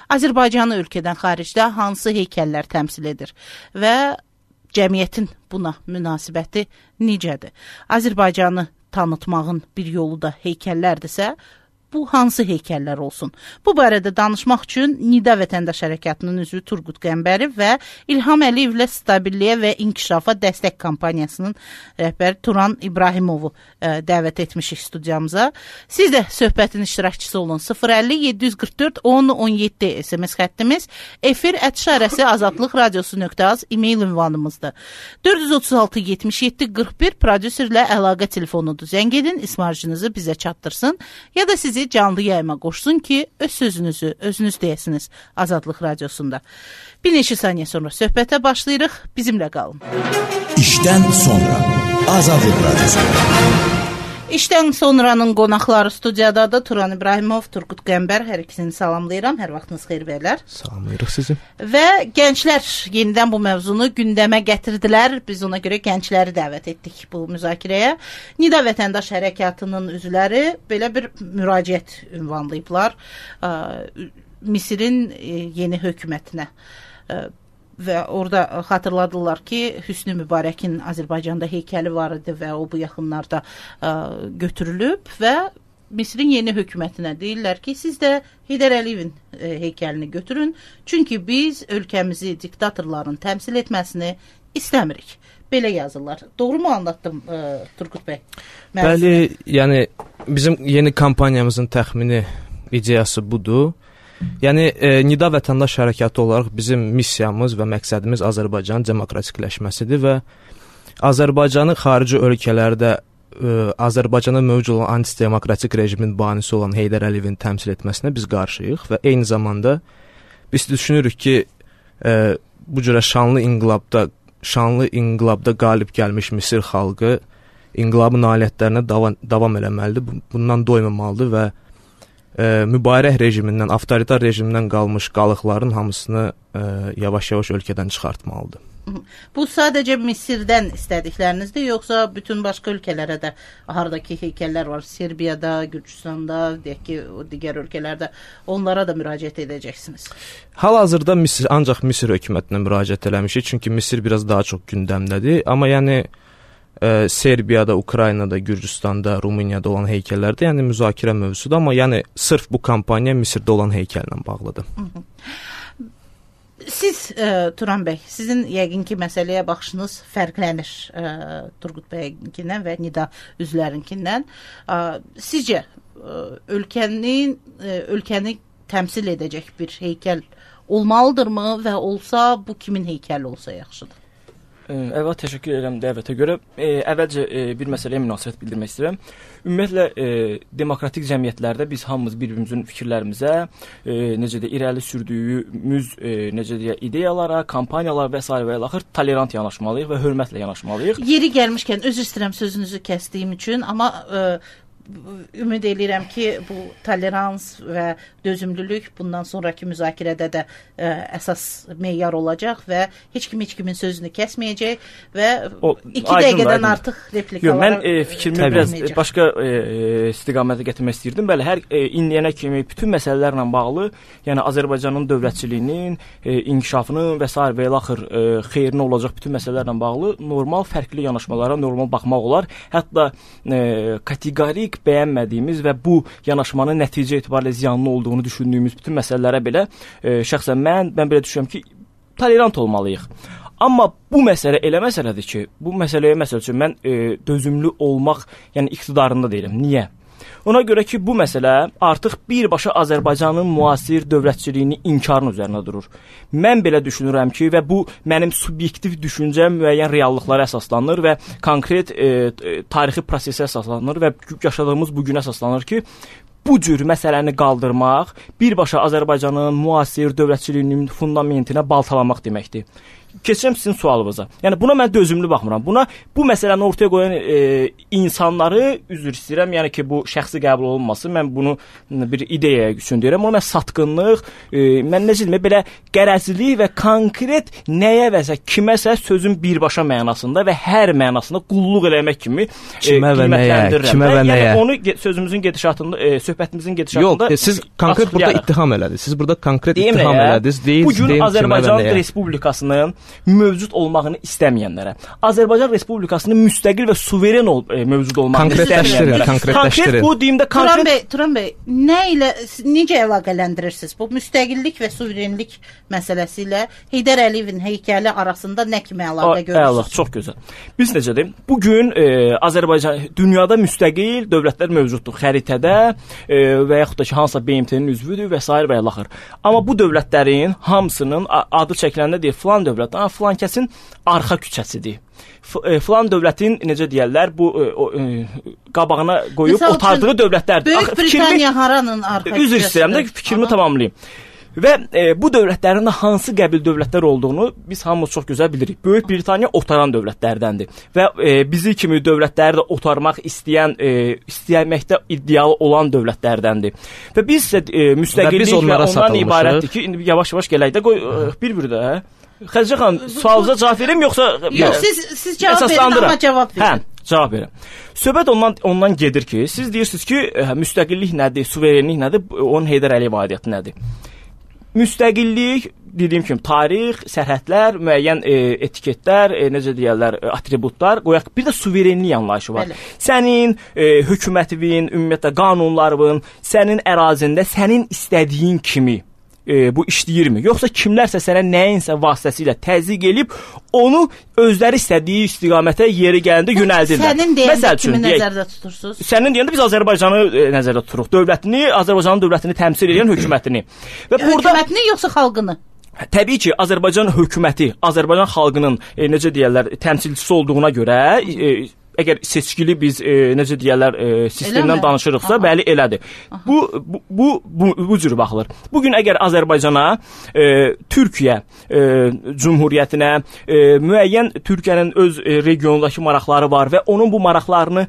Azərbaycanı ölkədən xaricdə hansı heykəllər təmsil edir və cəmiyyətin buna münasibəti necədir? Azərbaycanı tanıtmağın bir yolu da heykəllərdirsə, bu hansı heykəllər olsun? Bu barədə danışmaq üçün Nida Vətəndaş Hərəkatının üzvü Turqut Qəmbərov və İlham Əliyevlə Stabilliyə və İnkişafa Dəstək Kampaniyasının rəhbəri Turan İbrahimovu dəvət etmişik studiyamıza. Siz də söhbətin iştirakçısı olun. 050-744-10-17 SMS xəttimiz, efir@azadlıqradiosu.az e-mail ünvanımızdır. 436-77-41 prodüserlə əlaqə telefonudur. Zəng edin, ismarcınızı bizə çatdırsın ya da sizi canlı yayıma qoşsun ki, öz sözünüzü özünüz deyəsiniz Azadlıq Radiosunda. Bir neçə saniyə sonra söhbətə başlayırıq. Bizimlə qalın. İşdən sonra Azadlıq Radiosunda. İşdən sonranın qonaqları studiyadadır. Turan İbrahimov, Turqut Qəmbər, hər ikisini salamlayıram. Hər vaxtınız xeyir bəylər. Salamlayırıq sizi. Və gənclər yenidən bu mövzunu gündəmə gətirdilər. Biz ona görə gəncləri dəvət etdik bu müzakirəyə. Nida Vətəndaş Hərəkatının üzvləri belə bir müraciət ünvanlayıblar Misirin yeni hökumətinə. Və orada xatırladılar ki, Hüsnü Mübarəkin Azərbaycanda heykəli var idi və o bu yaxınlarda götürülüb və Misirin yeni hökumətinə deyirlər ki, siz də Heydər Əliyevin heykəlini götürün, çünki biz ölkəmizi diktatorların təmsil etməsini istəmirik. Belə yazırlar. Doğru mu anlattım Turqut bəy? Bəli, yəni bizim yeni kampaniyamızın təxmini ideyası budur. Yəni, Nida Vətəndaş Hərəkatı olaraq bizim missiyamız və məqsədimiz Azərbaycanın demokratikləşməsidir və Azərbaycanı xarici ölkələrdə Azərbaycana mövcud olan antidemokratik rejimin banisi olan Heydər Əliyevin təmsil etməsinə biz qarşıyıq və eyni zamanda biz düşünürük ki, bu cürə şanlı inqilabda qalib gəlmiş Misir xalqı inqilabın nailiyyətlərinə davam eləməlidir, bundan doymamalıdır və mübarək rejimindən, avtoritar rejimindən qalmış qalıqların hamısını yavaş-yavaş ölkədən çıxartmalıdır. Bu sadəcə Misirdən istədiklərinizdir, yoxsa bütün başqa ölkələrə də hardakı heykəllər var, Serbiyada, Gürcüstanda, deyək ki, o digər ölkələrdə onlara da müraciət edəcəksiniz? Hal-hazırda ancaq Misir hökumətinə müraciət eləmişik, çünki Misir biraz daha çox gündəmdədir, amma yəni Serbiyada, Ukraynada, Gürcüstanda, Rumuniyada olan heykəllərdə, yəni müzakirə mövzusudur, amma yəni sırf bu kampaniya Misirdə olan heykəllə bağlıdır. Siz, Turan bəy, sizin yəqin ki, məsələyə baxışınız fərqlənir Turqut bəyinkindən və Nida üzvlərinkindən. Sizcə, ölkəni təmsil edəcək bir heykəl olmalıdırmı və olsa, bu kimin heykəli olsa yaxşıdır? Əvvəl təşəkkür edirəm dəvətə görə. Əvvəlcə bir məsələyə münasibət bildirmək istəyirəm. Ümumiyyətlə, demokratik cəmiyyətlərdə biz hamımız bir-birimizin fikirlərimizə, necə də irəli sürdüyümüz ideyalara, kampaniyalar və s. və ilaxır tolerant yanaşmalıyıq və hörmətlə yanaşmalıyıq. Yeri gəlmişkən, özür istəyirəm sözünüzü kəsdiyim üçün, amma ümid edirəm ki, bu tolerans və dözümlülük bundan sonraki müzakirədə də əsas meyar olacaq və heç kimin sözünü kəsməyəcək və 2 dəqiqədən artıq replikalara mən fikrimi biraz başqa istiqamətə gətirmək istəyirdim. Bəli, hər indiyənə kimi bütün məsələlərlə bağlı, yəni Azərbaycanın dövlətçiliyinin, inkişafının və s. və ilaxır xeyrinə olacaq bütün məsələlərlə bağlı normal fərqli yanaşmalara normal baxmaq olar. Hətta kateqorik bəyənmədiyimiz və bu yanaşmanın nəticə etibarilə ziyanlı olduğunu düşündüyümüz bütün məsələlərə belə şəxsən mən belə düşünürəm ki, tolerant olmalıyıq. Amma bu məsələ elə məsələdir ki, bu məsələyə məsəl üçün mən dözümlü olmaq, yəni iqtidarında deyirəm. Niyə? Ona görə ki, bu məsələ artıq birbaşa Azərbaycanın müasir dövlətçiliyini inkarın üzərinə durur. Mən belə düşünürəm ki, və bu mənim subyektiv düşüncəm müəyyən reallıqlara əsaslanır və konkret tarixi prosesə əsaslanır və yaşadığımız bu günə əsaslanır ki, bu cür məsələni qaldırmaq birbaşa Azərbaycanın müasir dövlətçiliyinin fundamentinə baltalamaq deməkdir. keçirəm sizin sualınıza. Yəni buna mən dözümlü baxmıram. Buna bu məsələni ortaya qoyan insanları üzr istəyirəm. Yəni ki, bu şəxsi qəbul olunmasın. Mən bunu bir ideya üçün deyirəm. Amma mən satqınlıq, mən necə deyim, belə qərəzlilik və konkret nəyə vəsə kiməsə sözün birbaşa mənasında və hər mənasında qulluq eləmək kimi qiymətləndirirəm. Kimə və nəyə? Yəni onu sözümüzün gedişatında, söhbətimizin gedişatında yox, siz konkret burada ittiham elədiniz. Siz burada konkret ittiham elədiniz. Bu gün Azərbaycan Respublikasının mövcud olmağını istəməyənlərə, Azərbaycan Respublikasının müstəqil və suveren mövcud olmağını istəməyənlərə. Konkret bu deyimdə Turan bəy, necə əlaqələndirirsiniz? Bu müstəqillik və suverenlik məsələsi ilə Heydər Əliyevin heykəli arasında nə kimi əlaqə görürsünüz? Çox gözəl. Biz necə deyim? Bu gün Azərbaycan dünyada müstəqil dövlətlər mövcuddur xəritədə və yaxud da ki, hansısa BMT-nin üzvüdür və s. və ilaxır. Amma bu dövlətlərin hamısının adı çəkiləndə deyir, filan dövlət, filan kəsin arxa küçəsidir. Filan dövlətin, necə deyərlər, bu qabağına qoyub otardığı dövlətlərdir. Böyük Britaniya haranın arxa küçəsidir? Üzr istəyirəm də fikrimi tamamlayayım. Və bu dövlətlərin hansı qəbil dövlətlər olduğunu biz hamımız çox gözəl bilirik. Böyük Britaniya otaran dövlətlərdəndir və bizi kimi dövlətləri də otarmaq istəməkdə iddialı olan dövlətlərdəndir. Və biz müstəqillik və ondan ibarətdir ki, indi yavaş-yavaş gələk də qoy bir də. Xədicə xanım, sualınıza cavab verim yoxsa yox, siz cavab verin, amma cavab verin. Cavab verin. Söhbət ondan gedir ki, siz deyirsiniz ki, müstəqillik nədir, suverenlik nədir, onun Heydər Əliyev aidiyyatı nədir? Müstəqillik, dediyim kimi, tarix, sərhədlər, müəyyən etiketlər, necə deyərlər, atributlar, qoyaq, bir də suverenlik anlayışı var. Bəli. Sənin hökumətin, ümumiyyətlə qanunların, sənin ərazində sənin istədiyin kimi bu işləyirmi? Yoxsa kimlərsə sənə nəyinsə vasitəsilə təzyiq elib, onu özləri istədiyi istiqamətə yeri gələndə yönəldirlər. Sənin deyəndə kimi nəzərdə tutursunuz? Sənin deyəndə biz Azərbaycanı nəzərdə tuturuq. Dövlətini, Azərbaycanın dövlətini təmsil edən hökumətini. Və hökumətini yoxsa xalqını? Təbii ki, Azərbaycan hökuməti, Azərbaycan xalqının necə deyərlər, təmsilçisi olduğuna görə əgər seçkili biz necə deyərlər sistemdən danışırıqsa, bəli elədir. Bu cür baxılır. Bugün əgər Azərbaycana, Türkiyə Cümhuriyyətinə, müəyyən Türkiyənin öz regionundakı maraqları var və onun bu maraqlarını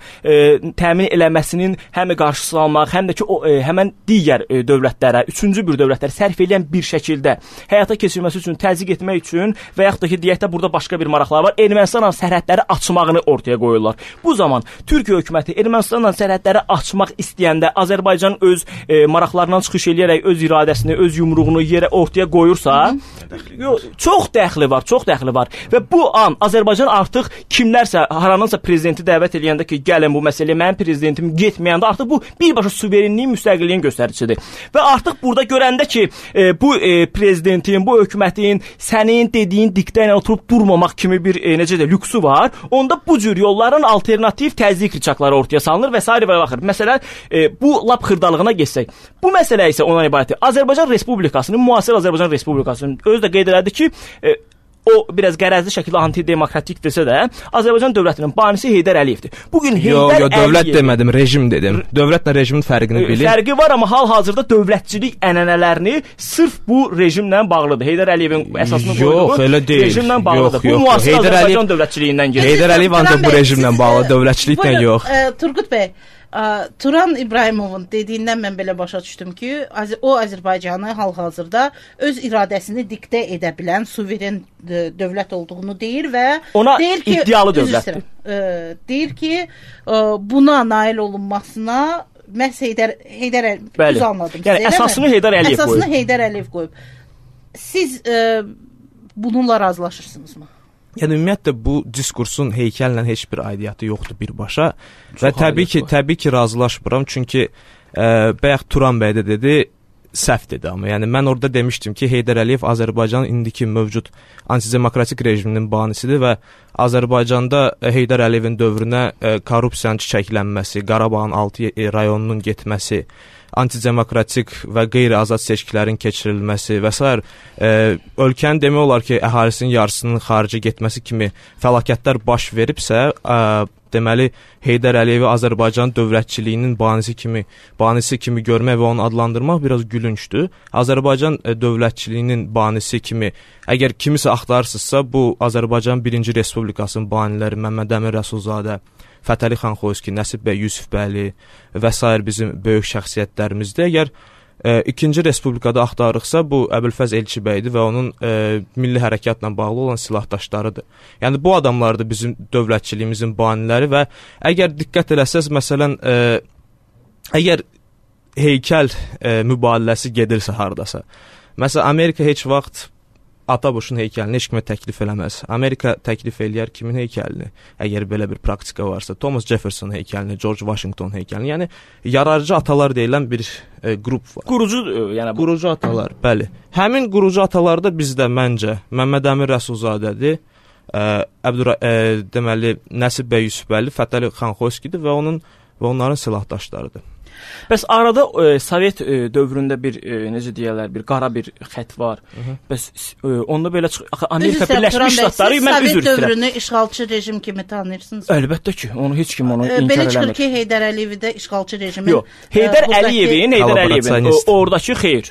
təmin eləməsinin həm qarşısını almaq, həm də ki həmən digər dövlətlərə, üçüncü bir dövlətlərə sərf edən bir şəkildə həyata keçirməsi üçün, təzyiq etmək üçün və yaxud da ki, deyək də burada başqa bir maraqlar var, Ermənistanla sərhədləri açmağını ortaya qoyurlar. Bu zaman Türkiyə hökuməti Ermənistanla sərhədləri açmaq istəyəndə Azərbaycan öz maraqlarından çıxış eləyərək öz iradəsini, öz yumruğunu yerə ortaya qoyursa, çox dəxli var. Və bu an Azərbaycan artıq kimlərsə, haranınsa prezidenti dəvət eləyəndə ki, gəlin bu məsələyə, mənim prezidentim getməyəndə artıq bu birbaşa suverenliyin, müstəqilliyin göstəricisidir. Və artıq burada görəndə ki, bu prezidentin, bu hökumətin sənin dediyin diktə ilə oturub durmamaq kimi bir necə də lüksü var, onda bu cür yolların alternativ təzyiq riçaqları ortaya salınır və s. və axır. Məsələn, bu lap xırdalığına geçsək. Bu məsələ isə ondan ibarətdir. Azərbaycan Respublikasının, müasir Azərbaycan Respublikasının özü də qeyd elədi ki, o biraz qərəzli şəkildə antidemokratik desə də, Azərbaycan dövlətinin banisi Heydər Əliyevdir. Bugün Heydər Əliyev... dövlət demədim, rejim dedim. Dövlətlə rejimin fərqini bilir. Fərqi var, amma hal-hazırda dövlətçilik ənənələrini sırf bu rejimlə bağlıdır. Heydər Əliyevin əsasını qoyduğu rejimlə bağlıdır. Bu müasir Azərbaycan dövlətçiliyindən gedir. Heydər Əliyev ancaq bu rejimlə bağlı, dövlətçiliklə yox. Turgut bəy, Turan İbrahimovun dediyindən mən belə başa düşdüm ki, o Azərbaycanı hal-hazırda öz iradəsini diktə edə bilən suveren dövlət olduğunu deyir və ona deyir ki, iddialı dövlətdir. Deyir ki, buna nail olunmasına məhz Heydər Əliyev anladım. Yəni əsasını Heydər Əliyev qoyub. Əsasını Heydər Əliyev qoyub. Siz bununla razılaşırsınızmı? Yəni ümumiyyətlə bu diskursun heykəllə heç bir aidiyyatı yoxdur birbaşa və təbii ki razılaşmıram, çünki bayaq Turan bəy də dedi, səhv dedi, amma yəni mən orada demişdim ki, Heydər Əliyev Azərbaycanın indiki mövcud antidemokratik rejiminin banisidir və Azərbaycanda Heydər Əliyevin dövrünə korrupsiyanın çiçəklənməsi, Qarabağın 6 rayonunun getməsi, antidemokratik və qeyri-azad seçkilərin keçirilməsi və s. Ölkənin demək olar ki, əhalisinin yarısının xaricə getməsi kimi fəlakətlər baş veribsə, deməli Heydər Əliyevi Azərbaycan dövlətçiliyinin banisi kimi görmək və onu adlandırmaq biraz gülüncdür. Azərbaycan dövlətçiliyinin banisi kimi əgər kimisə axtarırsınızsa, bu Azərbaycan 1-ci Respublikasının baniləri Məmməd Əmin Rəsulzadə, Fətəli xan Xoyski, Nəsib bəy Yusifbəyli və s. bizim böyük şəxsiyyətlərimizdir. Əgər 2-ci Respublikada axtarıqsa, bu Əbülfəz Elçibəydir və onun milli hərəkatla bağlı olan silahdaşlarıdır. Yəni, bu adamlardır bizim dövlətçiliyimizin baniləri və əgər diqqət eləsəz, məsələn, əgər heykəl mübadiləsi gedirsə haradasa, məsələn, Amerika heç vaxt Ataboşun heykəlini heç kimə təklif eləməz. Amerika təklif eləyər kimin heykəlini? Əgər belə bir praktika varsa, Thomas Jefferson heykəlini, George Washington heykəlini, yəni yararcı atalar deyilən bir qrup var. Qurucu atalar, bəli. Həmin qurucu atalar da bizdə məncə Məmməd Əmin Rəsulzadədir, deməli Nəsib bəy Yusifbəyli, Fətəli xan Xoyskidir və onların silahdaşlarıdır. Bəs arada Sovet dövründə bir necə deyirlər, bir qara bir xətt var. Bəs onda belə Amerika Birləşmiş Ştatları, mən üzr istəyirəm. Sovet dövrünü işğalçı rejim kimi tanıyırsınız? Əlbəttə ki, onu heç kim onu inkar eləmir. Belə çıxır ki, Heydər Əliyevi də işğalçı rejimin. Yox, Heydər Əliyevin oradakı xeyr.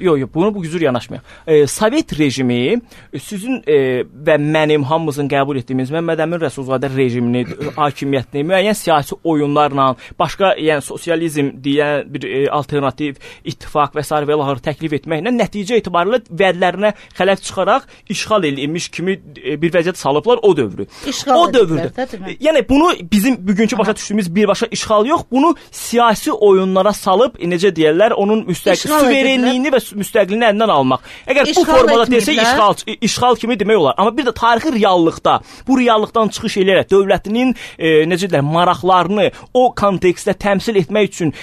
Yox, bunu bu gücür yanaşmayaq. Sovet rejimi sizin və mənim hamımızın qəbul etdiyimiz Məmməd Əmin Rəsulzadə rejimini, hakimiyyətini müəyyən siyasi oyunlarla, başqa yəni sosializm deyən bir alternativ ittifaq və s. və ilaxır təklif etməklə nəticə etibarilə vədlərinə xələf çıxaraq işğal edilmiş kimi bir vəziyyət salıblar o dövrü. O dövrdə. Yəni bunu bizim bugünkü başa düşdüyümüz birbaşa işğal yox, bunu siyasi oyunlara salıb necə deyirlər, onun suverenliyini və müstəqilliyini əlindən almaq. Əgər bu formada desək işğal kimi demək olar. Amma bir də tarixi reallıqda bu reallıqdan çıxış eləyərək dövlətinin necə deyirlər maraqlarını o kontekstdə təmsil etmək üçün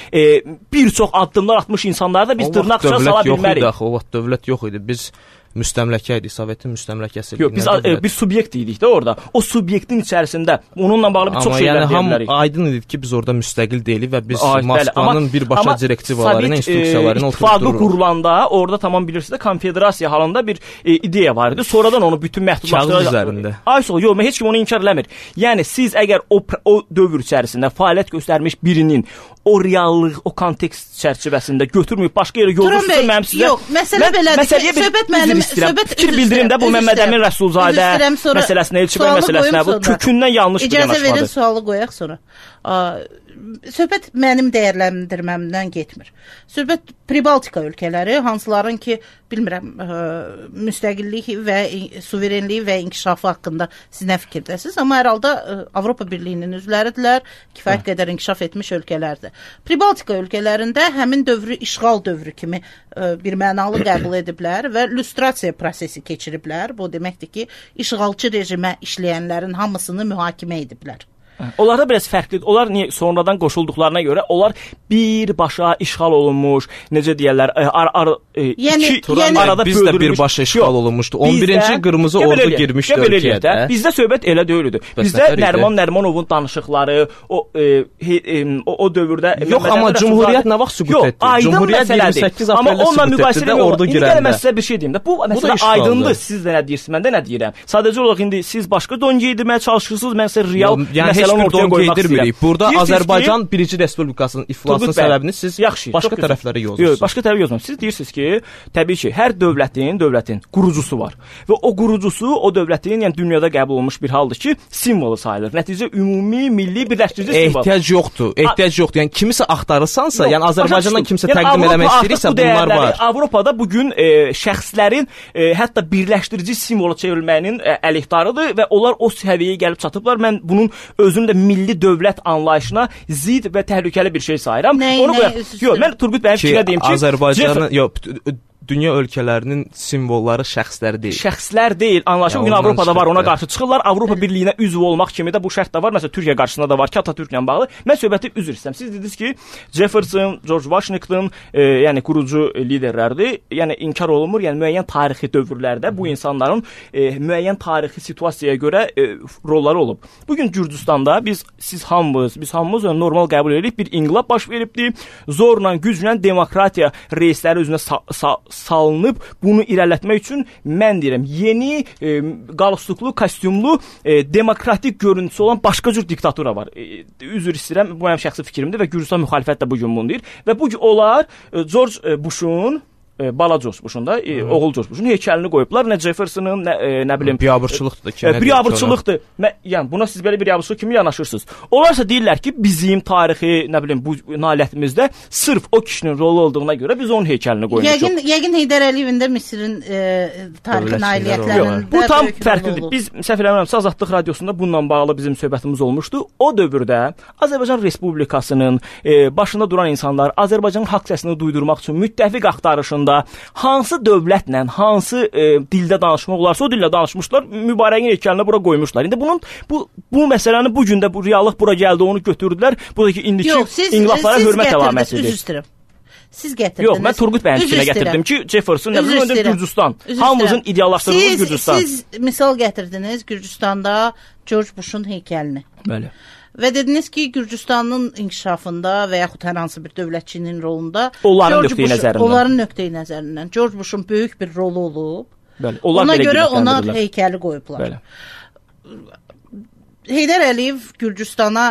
bir çox addımlar atmış insanları da biz dırnaqça sala bilmərik. O vaxt dövlət yox idi. Biz müstəmləkə idi, Sovetin müstəmləkəsi. Yox, biz bir subyekt idik də orada. O subyektin içərisində onunla bağlı bir çox şeylər deyə bilərik. Amma aydın idi ki, biz orada müstəqil deyilik və biz Moskvanın birbaşa direktivaları ilə, instruksiyalarını oturtdururuq. İttifaqı qurulanda orada tamam bilirsiniz, konfederasiya halında bir ideya var idi. Sonradan onu bütün məhdudlaşdırılır. Kağız üzərində. Yox, heç kim onu inkar eləmir. Yəni siz əgər o dövr içərisində fəaliyyət göstərmiş birinin o reallıq, o kontekst çərçivəsində götürməyib başqa yerə yollusunsa mənim sizə... Yox, məsələ belədir ki, söhbət mənim... Fikir bildirim də bu Məmməd Əmin Rəsulzadə məsələsinə, Elçibəyli məsələsinə, bu kökündən yanlış bir yanaşmadır. İcazə verin, sualı qoyaq sonra. Söhbət mənim dəyərləndirməmdən getmir. Söhbət Pribaltika ölkələri, hansıların ki, bilmirəm, müstəqillik və suverenliyi və inkişafı haqqında siz nə fikirdəsiniz, amma hər halda Avropa Birliyinin üzvləridirlər, kifayət qədər inkişaf etmiş ölkələrdir. Pribaltika ölkələrində həmin dövrü işğal dövrü kimi bir mənalı qəbul ediblər və lüstrasiya prosesi keçiriblər. Bu deməkdir ki, işğalçı rejimə işləyənlərin hamısını mühakimə ediblər. Onlar da biraz fərqlidir. Onlar niyə sonradan qoşulduqlarına görə onlar birbaşa işğal olunmuş, necə deyirlər, arada biz də birbaşa işğal olunmuşdu. 11-ci qırmızı ordu girmişdi ölkəyə. Bizdə söhbət elə deyildi. Bizdə Nəriman Nərimanovun danışıqları, o dövrdə yox, amma Cümhuriyyət nə vaxt sübut etdi? Cümhuriyyət 28 apreldə sübut etdi də ordu girəndə. İndi mən sizə bir şey deyim də. Bu məsələ aydındır. Siz də nə deyirsiniz, mən də nə deyirəm. Sadəcə olaraq indi siz başqa don geydirməyə çalışırsınız, mən sizə real məsələ don geydirmirik. Burada Azərbaycan 1-ci Respublikasının iflasının səbəbini siz başqa tərəflərə yozursunuz. Yox, başqa tərəfə yozmursunuz. Siz deyirsiniz ki, təbii ki, hər dövlətin qurucusu var. Və o qurucusu o dövlətin, yəni dünyada qəbul olunmuş bir haldır ki, simvolu sayılır. Nəticə ümumi milli birləşdirici simvol. Ehtiyac yoxdur. Yəni kimisə axtarırsansa, yəni Azərbaycandan kimsə təqdim eləmək istəyirsə, bunlar var. Avropada bu gün şəxslərin hətta birləşdirici simvola çevrilməyinin əleyhdarıdır və onlar o səviyyəyə gəlib çatıblar. Mən bunun özünün də milli dövlət anlayışına zid və təhlükəli bir şey sayıram. Yox, mən Turgut bəyin fikrinə deyim ki, Azərbaycanın dünya ölkələrinin simvolları şəxslər deyil. Şəxslər deyil. Anlaşılır. Bugün Avropada var, ona qarşı çıxırlar. Avropa Birliyinə üzv olmaq kimi də bu şərt də var. Məsələn, Türkiyə qarşısında da var ki, Atatürklə bağlı. Mən söhbəti üzr istəyirəm. Siz dediniz ki, Jefferson, George Washington, yəni qurucu liderlərdir. Yəni inkar olunmur. Yəni müəyyən tarixi dövrlərdə bu insanların müəyyən tarixi situasiyaya görə rolları olub. Bugün Gürcüstanda biz hamımız normal qəbul edirik. Bir inqilab baş veribdi. Zorla, güclə demokratiya reysləri üzrə salınıb bunu irələtmək üçün mən deyirəm, yeni qalstuklu, kostyumlu, demokratik görüntüsü olan başqa cür diktatura var. Üzr istəyirəm, bu mənim şəxsi fikrimdir və Gürcüstan müxalifət də bu gün bunu deyir. Və bu onlar George Bush'un bala George Bush'un da, oğul George Bush'un heykəlini qoyublar. Nə Jefferson'ın, nə bilim, biabırçılıqdır da. Biabırçılıqdır. Yəni buna siz belə bir biabırçılıq kimi yanaşırsınız. Onlarsa deyirlər ki, bizim tarixi, nə bilim, bu nailiyyətimizdə sırf o kişinin rolu olduğuna görə biz onun heykəlini qoymuşuq. Yəqin Heydər Əliyevin də Misirin tarixi nailiyyətlərində bu tam fərqlidir. Biz səhv eləmirəmsə Azadlıq radiosunda bununla bağlı bizim söhbətimiz olmuşdu. O dövrdə Azərbaycan Respublikasının başında duran insanlar Azərbaycanın haqq səsini duydurmaq üçün müttəfiq axtarışında hansı dövlətlə, hansı dildə danışmaq olarsa o dillə danışmışlar, mübarekin heykəlini bura qoymuşlar. İndi bunun bu məsələni bu gün də bu reallıq bura gəldi, onu götürdülər. Buradakı indiki inqilablara hörmət əlamətidir. Üzr istəyirəm. Siz gətirdiniz. Yox, mən Turgut bəyin fikrinə gətirdim ki, Jefferson, nə bilim, Gürcüstan. Hamımızın ideallaşdırdığı Gürcüstan. Siz misal gətirdiniz Gürcüstanda George Bush'un heykəlini. Bəli. Və dediniz ki, Gürcüstanın inkişafında və yaxud hər hansı bir dövlətçinin rolunda onların nöqteyi nəzərindən George Bush'un böyük bir rolu olub. Bəli. Ona görə ona heykəli qoyublar. Bəli. Heydər Əliyev Gürcüstana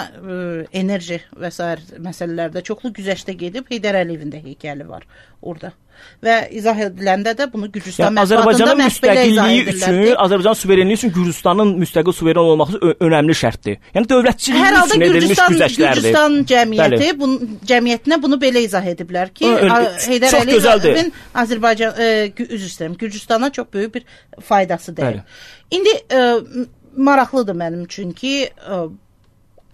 enerji və s. məsələlərdə çoxlu güzəştə gedib, Heydər Əliyevin də heykəli var orada. Və izah ediləndə də bunu Gürcüstan mətbuatında məhz-belə izah edirlər ki, Azərbaycan suverenliyi üçün Gürcüstanın müstəqil suveren olması önəmli şərtdir. Yəni dövlətçilik üçün edilmiş güzəştlərdir. Gürcüstan cəmiyyəti cəmiyyətinə bunu belə izah ediblər ki, Heydər Əliyevin Azərbaycan Gürcüstana çox böyük bir faydası dəyir. İndi maraqlıdır mənim üçün ki,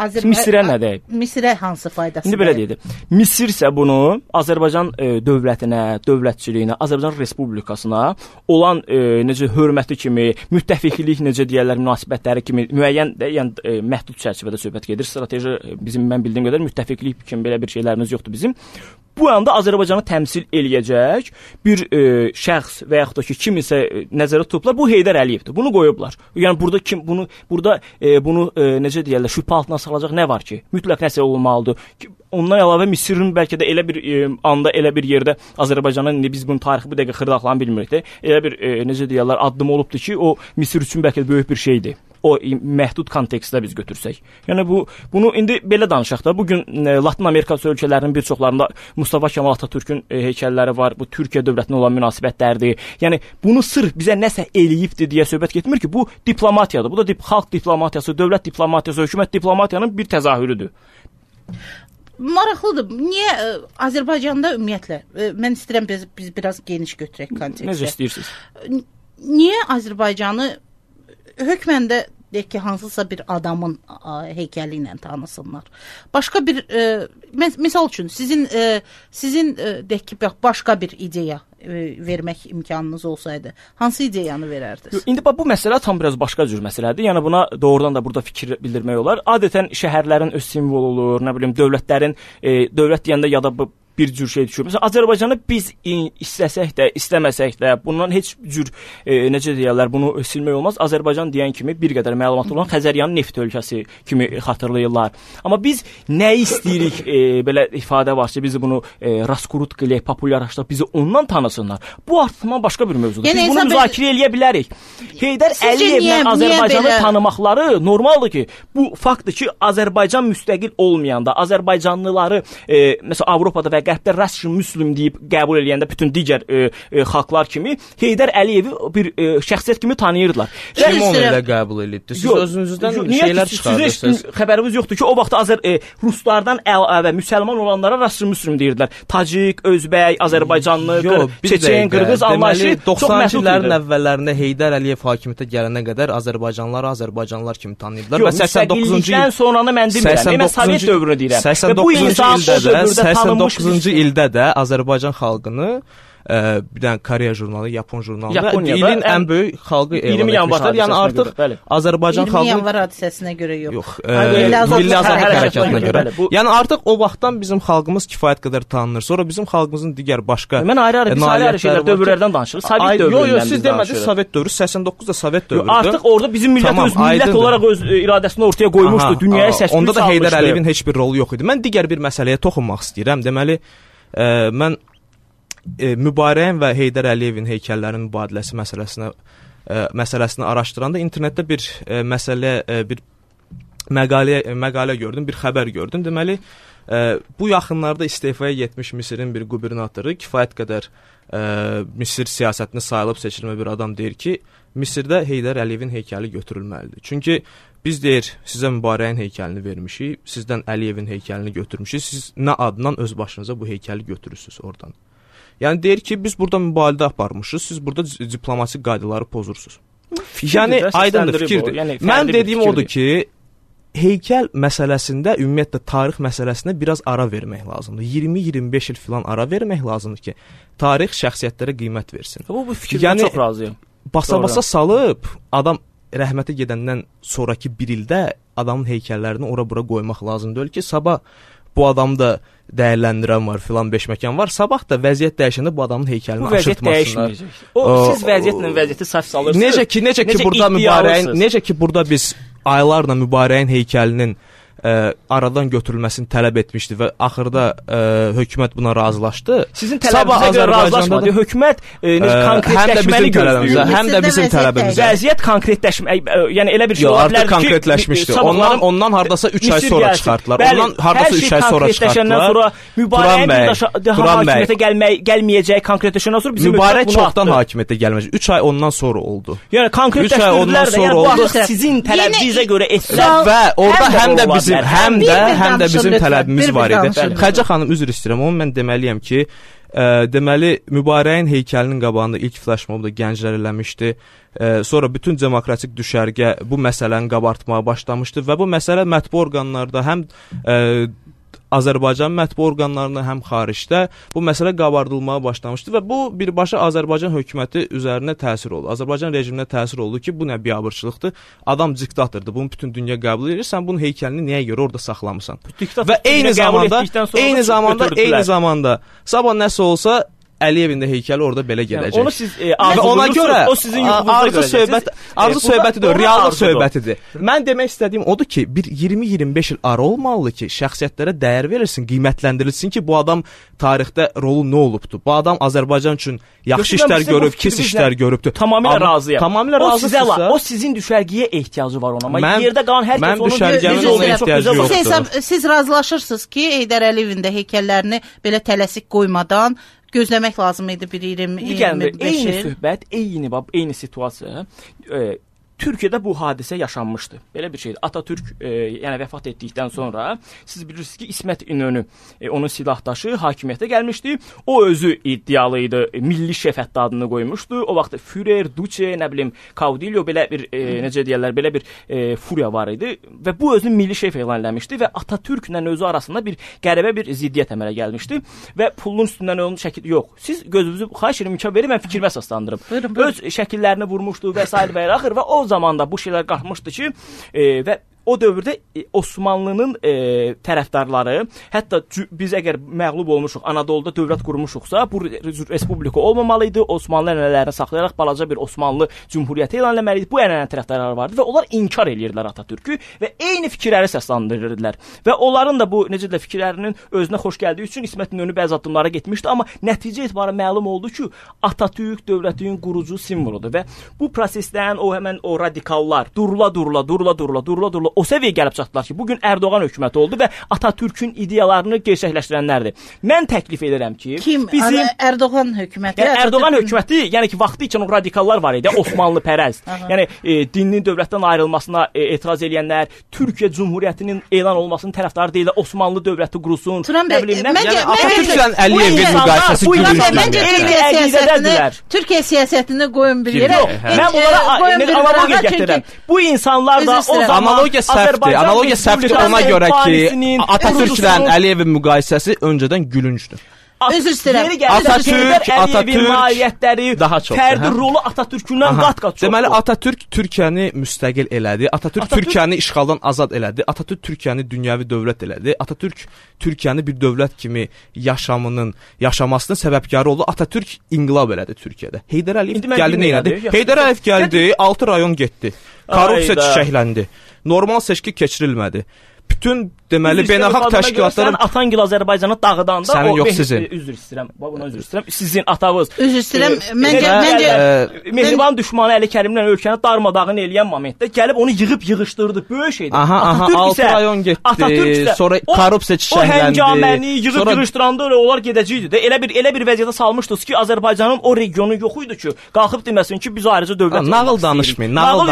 Misirə nə deyib? Misirə hansı faydası? İndi belə deyək. Misir isə bunu Azərbaycan dövlətinə, dövlətçiliyinə, Azərbaycan Respublikasına olan necə hörməti kimi, müttəfiqlik necə deyirlər, münasibətləri kimi müəyyən də, yəni məhdud çərçivədə söhbət gedir. Strateji bizim mən bildiyim qədər müttəfiqlik kimi belə bir şeylərimiz yoxdur bizim. Bu anda Azərbaycanı təmsil eləyəcək bir şəxs və yaxud da ki, kimisə nəzərə tutublar. Bu Heydər Əliyevdir. Bunu qoyublar. Yəni burada bunu necə deyirlər, şübhə altına salacaq nə var ki? Mütləq nəsə olmalıdır. Ondan əlavə Misirin bəlkə də elə bir anda, elə bir yerdə Azərbaycanın biz bunun tarixi bu dəqiqə xırdaqlarını bilmirik də. Elə bir necə deyirlər, addım olubdu ki, o Misir üçün bəlkə böyük bir şeydir. O məhdud kontekstdə biz götürsək. Yəni bunu indi belə danışaq da. Bu gün Latin Amerika ölkələrinin bir çoxlarında Mustafa Kemal Atatürkün heykəlləri var. Bu Türkiyə dövlətinə olan münasibətlərdir. Yəni bunu sırf bizə nəsə eləyibdi deyə söhbət getmir ki, bu diplomatiyadır. Bu da xalq diplomatiyası, dövlət diplomatiyası, hökumət diplomatiyanın bir təzahürüdür. Maraqlıdır. Niyə Azərbaycanda ümumiyyətlə, mən istəyirəm biz biraz geniş götürək kontekstə. Necə istəyirsiniz? Niyə Azərbaycanı hökmən də deyək ki, hansısa bir adamın heykəli ilə tanısınlar. Başqa bir misal üçün sizin deyək ki, başqa bir ideya vermək imkanınız olsaydı, hansı ideyanı verərdiniz? İndi bu məsələ tam biraz başqa cür məsələdir. Yəni buna doğrudan da burada fikir bildirmək olar. Adətən şəhərlərin öz simvolu olur, nə bilim, dövlətlərin dövlət deyəndə ya da bir cür şey düşür. Məsələn, Azərbaycanı biz istəsək də, istəməsək də, bundan heç cür necə deyirlər, bunu silmək olmaz. Azərbaycan deyən kimi bir qədər məlumatlı olan Xəzəryanın neft ölkəsi kimi xatırlayırlar. Amma biz nə istəyirik, belə ifadə var ki, bizi bunu raskrutka ilə populyarlaşdırıb, bizi ondan tanısınlar. Bu artıqman başqa bir mövzudur. Yəni, biz bunu müzakirə eləyə bilərik. Heydər Əliyevlə Azərbaycanı tanımaqları normaldır ki, bu faktdır ki, Azərbaycan müstəqil olmayanda, Azərbaycanlıları məsələn Avropada və Qərbdə Russian Muslim deyib qəbul edəndə bütün digər xalqlar kimi Heydər Əliyevi bir şəxsiyyət kimi tanıyırdılar. Kim onu elə qəbul edibdi? Siz özünüzdən şeylər çıxardırsınız. Xəbərimiz yoxdur ki, o vaxt ruslardan əlavə müsəlman olanlara Russian Muslim deyirdilər. Tacik, Özbək, Azərbaycanlı, Çeçen, Qırğız anlayışı 90-cı illərin əvvəllərində Heydər Əliyev hakimiyyətə gələnə qədər Azərbaycanlılar kimi tanıyırdılar və 89-cu ildən sonranı mən demirəm. Mən Sovet dövrünü deyirəm. 89-cu ildə də Azərbaycan xalqını bir dənə Koreya jurnalı, Yapon jurnalı ilin ən böyük xalqı elan etmişlər. Yəni artıq Azərbaycan xalqı 20 yanvar hadisəsinə görə yox. Milli Azadlıq hərəkatına görə. Yəni artıq o vaxtdan bizim xalqımız kifayət qədər tanınır. Sonra bizim xalqımızın digər başqa mən ayrı şeylər dövrlərdən danışırıq. Sovet dövründən. Yox, siz demədiniz Sovet dövrü, 89 da Sovet dövrüdür. Artıq orada bizim millət öz millət olaraq öz iradəsini ortaya qoymuşdu. Dünyaya səs-küy salmışdı. Onda da Heydər Əliyevin heç bir rolu yox idi. Mən digər bir məsələyə toxunmaq istəyirəm. Deməli, mən Mübarəyən və Heydər Əliyevin heykəllərinin mübadiləsi məsələsini araşdıranda internetdə bir məqalə gördüm, bir xəbər gördüm. Deməli, bu yaxınlarda istefaya getmiş Misirin bir qubernatoru kifayət qədər Misir siyasətini sayılıb seçilmə bir adam deyir ki, Misirdə Heydər Əliyevin heykəli götürülməlidir. Çünki biz deyir, sizə Mübarəyin heykəlini vermişik, sizdən Əliyevin heykəlini götürmüşük, siz nə adından öz başınıza bu heykəli götürürsünüz oradan. Yəni deyir ki, biz burada mübaliğə aparmışıq, siz burada diplomatik qaydaları pozursunuz. Yəni aydındır fikirdir. Mən dediyim odur ki, heykəl məsələsində, ümumiyyətlə tarix məsələsində biraz ara vermək lazımdır. 20-25 il filan ara vermək lazımdır ki, tarix şəxsiyyətlərə qiymət versin. Bu fikirdən çox razıyam. Basa-basa salıb, adam rəhmətə gedəndən sonraki bir ildə adamın heykəllərini ora-bura qoymaq lazımdır ki, sabah bu adamı da dəyərləndirən var, filan beşməkan var. Sabah da vəziyyət dəyişəndə bu adamın heykəlini aşırtmasınlar. Siz vəziyyətlə vəziyyəti səhv salırsınız. Necə ki burada biz aylarla Mübarəyin heykəlinin aradan götürülməsini tələb etmişdi və axırda hökumət buna razılaşdı. Sizin tələbinizə görə razılaşmadı. Hökumət konkretləşməni gözləyir. Həm də bizim tələbimiz. Vəziyyət konkretləşmək, yəni elə bir şey ola bilər ki, konkretləşmişdi. Ondan hardasa 3 ay sonra çıxartdılar. Ondan hardasa 3 ay sonra çıxartdılar. Mübarəyin hakimiyyətə gəlməyəcək konkretləşəndən sonra bizim Mübarək çoxdan hakimiyyətə gəlməyəcək. 3 ay ondan sonra oldu. Yəni konkretləşdirdilər də, yəni bu sizin tələbinizə görə etdilər. Və orada həm də bizim tələbimiz var idi. Xəcə xanım, üzr istəyirəm, onu mən deməliyəm ki, deməli Mübarəyin heykəlinin qabağında ilk flaşmobu da gənclər eləmişdi. Sonra bütün demokratik düşərgə bu məsələni qabartmağa başlamışdı və bu məsələ mətbu orqanlarda həm Azərbaycan mətbu orqanlarında, həm xaricdə bu məsələ qabardılmağa başlamışdı və bu birbaşa Azərbaycan hökuməti üzərinə təsir oldu. Azərbaycan rejiminə təsir oldu ki, bu nə biabırçılıqdır, adam diktatordur, bunu bütün dünya qəbul edir, sən bunun heykəlini niyə görə orada saxlamısan? Və eyni zamanda sabah nəsə olsa Əliyevin də heykəli orada belə gedəcək. Onu siz ona görə o sizin arzu söhbətidir, reallıq söhbətidir. Mən demək istədiyim odur ki, bir 20-25 il ara olmalıdır ki, şəxsiyyətlərə dəyər verilsin, qiymətləndirilsin ki, bu adam tarixdə rolu nə olubdu? Bu adam Azərbaycan üçün yaxşı işlər görüb, pis işlər görübdü. Tamamilə razıyam. Tamamilə razısınızsa, o sizin düşərgəyə ehtiyacı var ona. Amma yerdə qalan hər kəs onun ehtiyacı yoxdur. Siz razılaşırsınız ki, Heydər Əliyevin də heykəllərini belə tələsik qoymadan gözləmək lazım idi bir 20-25 eyni söhbət, eyni situasiya Türkiyədə bu hadisə yaşanmışdı. Belə bir şeydir. Atatürk yəni vəfat etdikdən sonra siz bilirsiniz ki, İsmət İnönü onun silahdaşı hakimiyyətə gəlmişdi. O özü iddialı idi. Milli şef hətta adını qoymuşdu. O vaxt Führer, Duce, nə bilim, Kaudillo belə bir necə deyirlər, belə bir furiya var idi və bu özünü milli şef elan eləmişdi və Atatürklə özü arasında bir qəribə bir ziddiyyət əmələ gəlmişdi və pulun üstündən onun şəkli yox. Siz gözünüzü xahiş edirəm imkan verin, mən fikrimə əsaslandırım. Öz şəkillərini vurmuşdu və sair və axır və o zamanda bu şeylər qalxmışdı ki, və o dövrdə Osmanlının tərəfdarları, hətta biz əgər məğlub olmuşuq, Anadoluda dövlət qurmuşuqsa, bu respublika olmamalı idi, Osmanlı ənənələrini saxlayaraq balaca bir Osmanlı cümhuriyyəti elan etməli idi. Bu ənənə tərəfdarları vardı və onlar inkar edirdilər Atatürkü və eyni fikirləri səsləndirirlər. Və onların da bu necə də fikirlərinin özünə xoş gəldiyi üçün İsmət İnönü bəzi addımlara getmişdi, amma nəticə etibarı məlum oldu ki, Atatürk dövlətin qurucu simvoludur və bu prosesdən həmən o radikallar durula o səviyyəyə gəlib çatdılar ki, bugün Ərdoğan hökuməti oldu və Atatürkün ideyalarını gerçəkləşdirənlərdir. Mən təklif edirəm ki, bizim Ərdoğan hökuməti, Ərdoğan hökuməti, yəni ki, vaxtı ikən o radikallar var idi, Osmanlı pərəst. Yəni dinin dövlətdən ayrılmasına etiraz edənlər, Türkiyə Cümhuriyyətinin elan olmasının tərəfdarı deyil, Osmanlı dövləti qurulsun. Nə bilim, Atatürklə Əliyevin müqayisəsi gülüncdür. Türkiyə siyasətini qoyun bir yerə. Mən bunlara analogiya gətirirəm. Bu insanlar da o zaman Analogiya səhvdir ona görə ki, Atatürklə Əliyevin müqayisəsi öncədən gülüncdür. Özür istəyirəm. Atatürk nailiyyətləri, fərdi rolu Atatürkündən qat-qat çoxdur. Deməli, Atatürk Türkiyəni müstəqil elədi. Atatürk Türkiyəni işğaldan azad elədi. Atatürk Türkiyəni dünyəvi dövlət elədi. Atatürk Türkiyəni bir dövlət kimi yaşamasının səbəbkarı oldu. Atatürk inqilab elədi Türkiyədə. Heydər Əliyev gəldi nə elədi? Heydər Əliyev gəldi, 6 rayon getdi. Korrupsiya çiçəkləndi. Normal seçki keçirilmədi. bütün deməli beynəlxalq təşkilatların Atangil Azərbaycanı dağıdanda sənin yox sizin. Üzr istəyirəm. Buna üzr istəyirəm. Sizin atavız. Üzr istəyirəm. Məncə Mehriban düşmanı Əli Kərimlə ölkəni darmadağın eləyən momentdə gəlib onu yığışdırdı. Böyük şeydir. Aha, 6 rayon getdi. Sonra korrupsiya çiçəkləndi. O həngaməni yığışdıranda onlar gedəcəkdi də. Elə bir vəziyyətə salmışdınız ki, Azərbaycanın o regionu yox idi ki, qalxıb deməsin ki, biz ayrıca dövlət. Nağıl danışmayın. Nağıl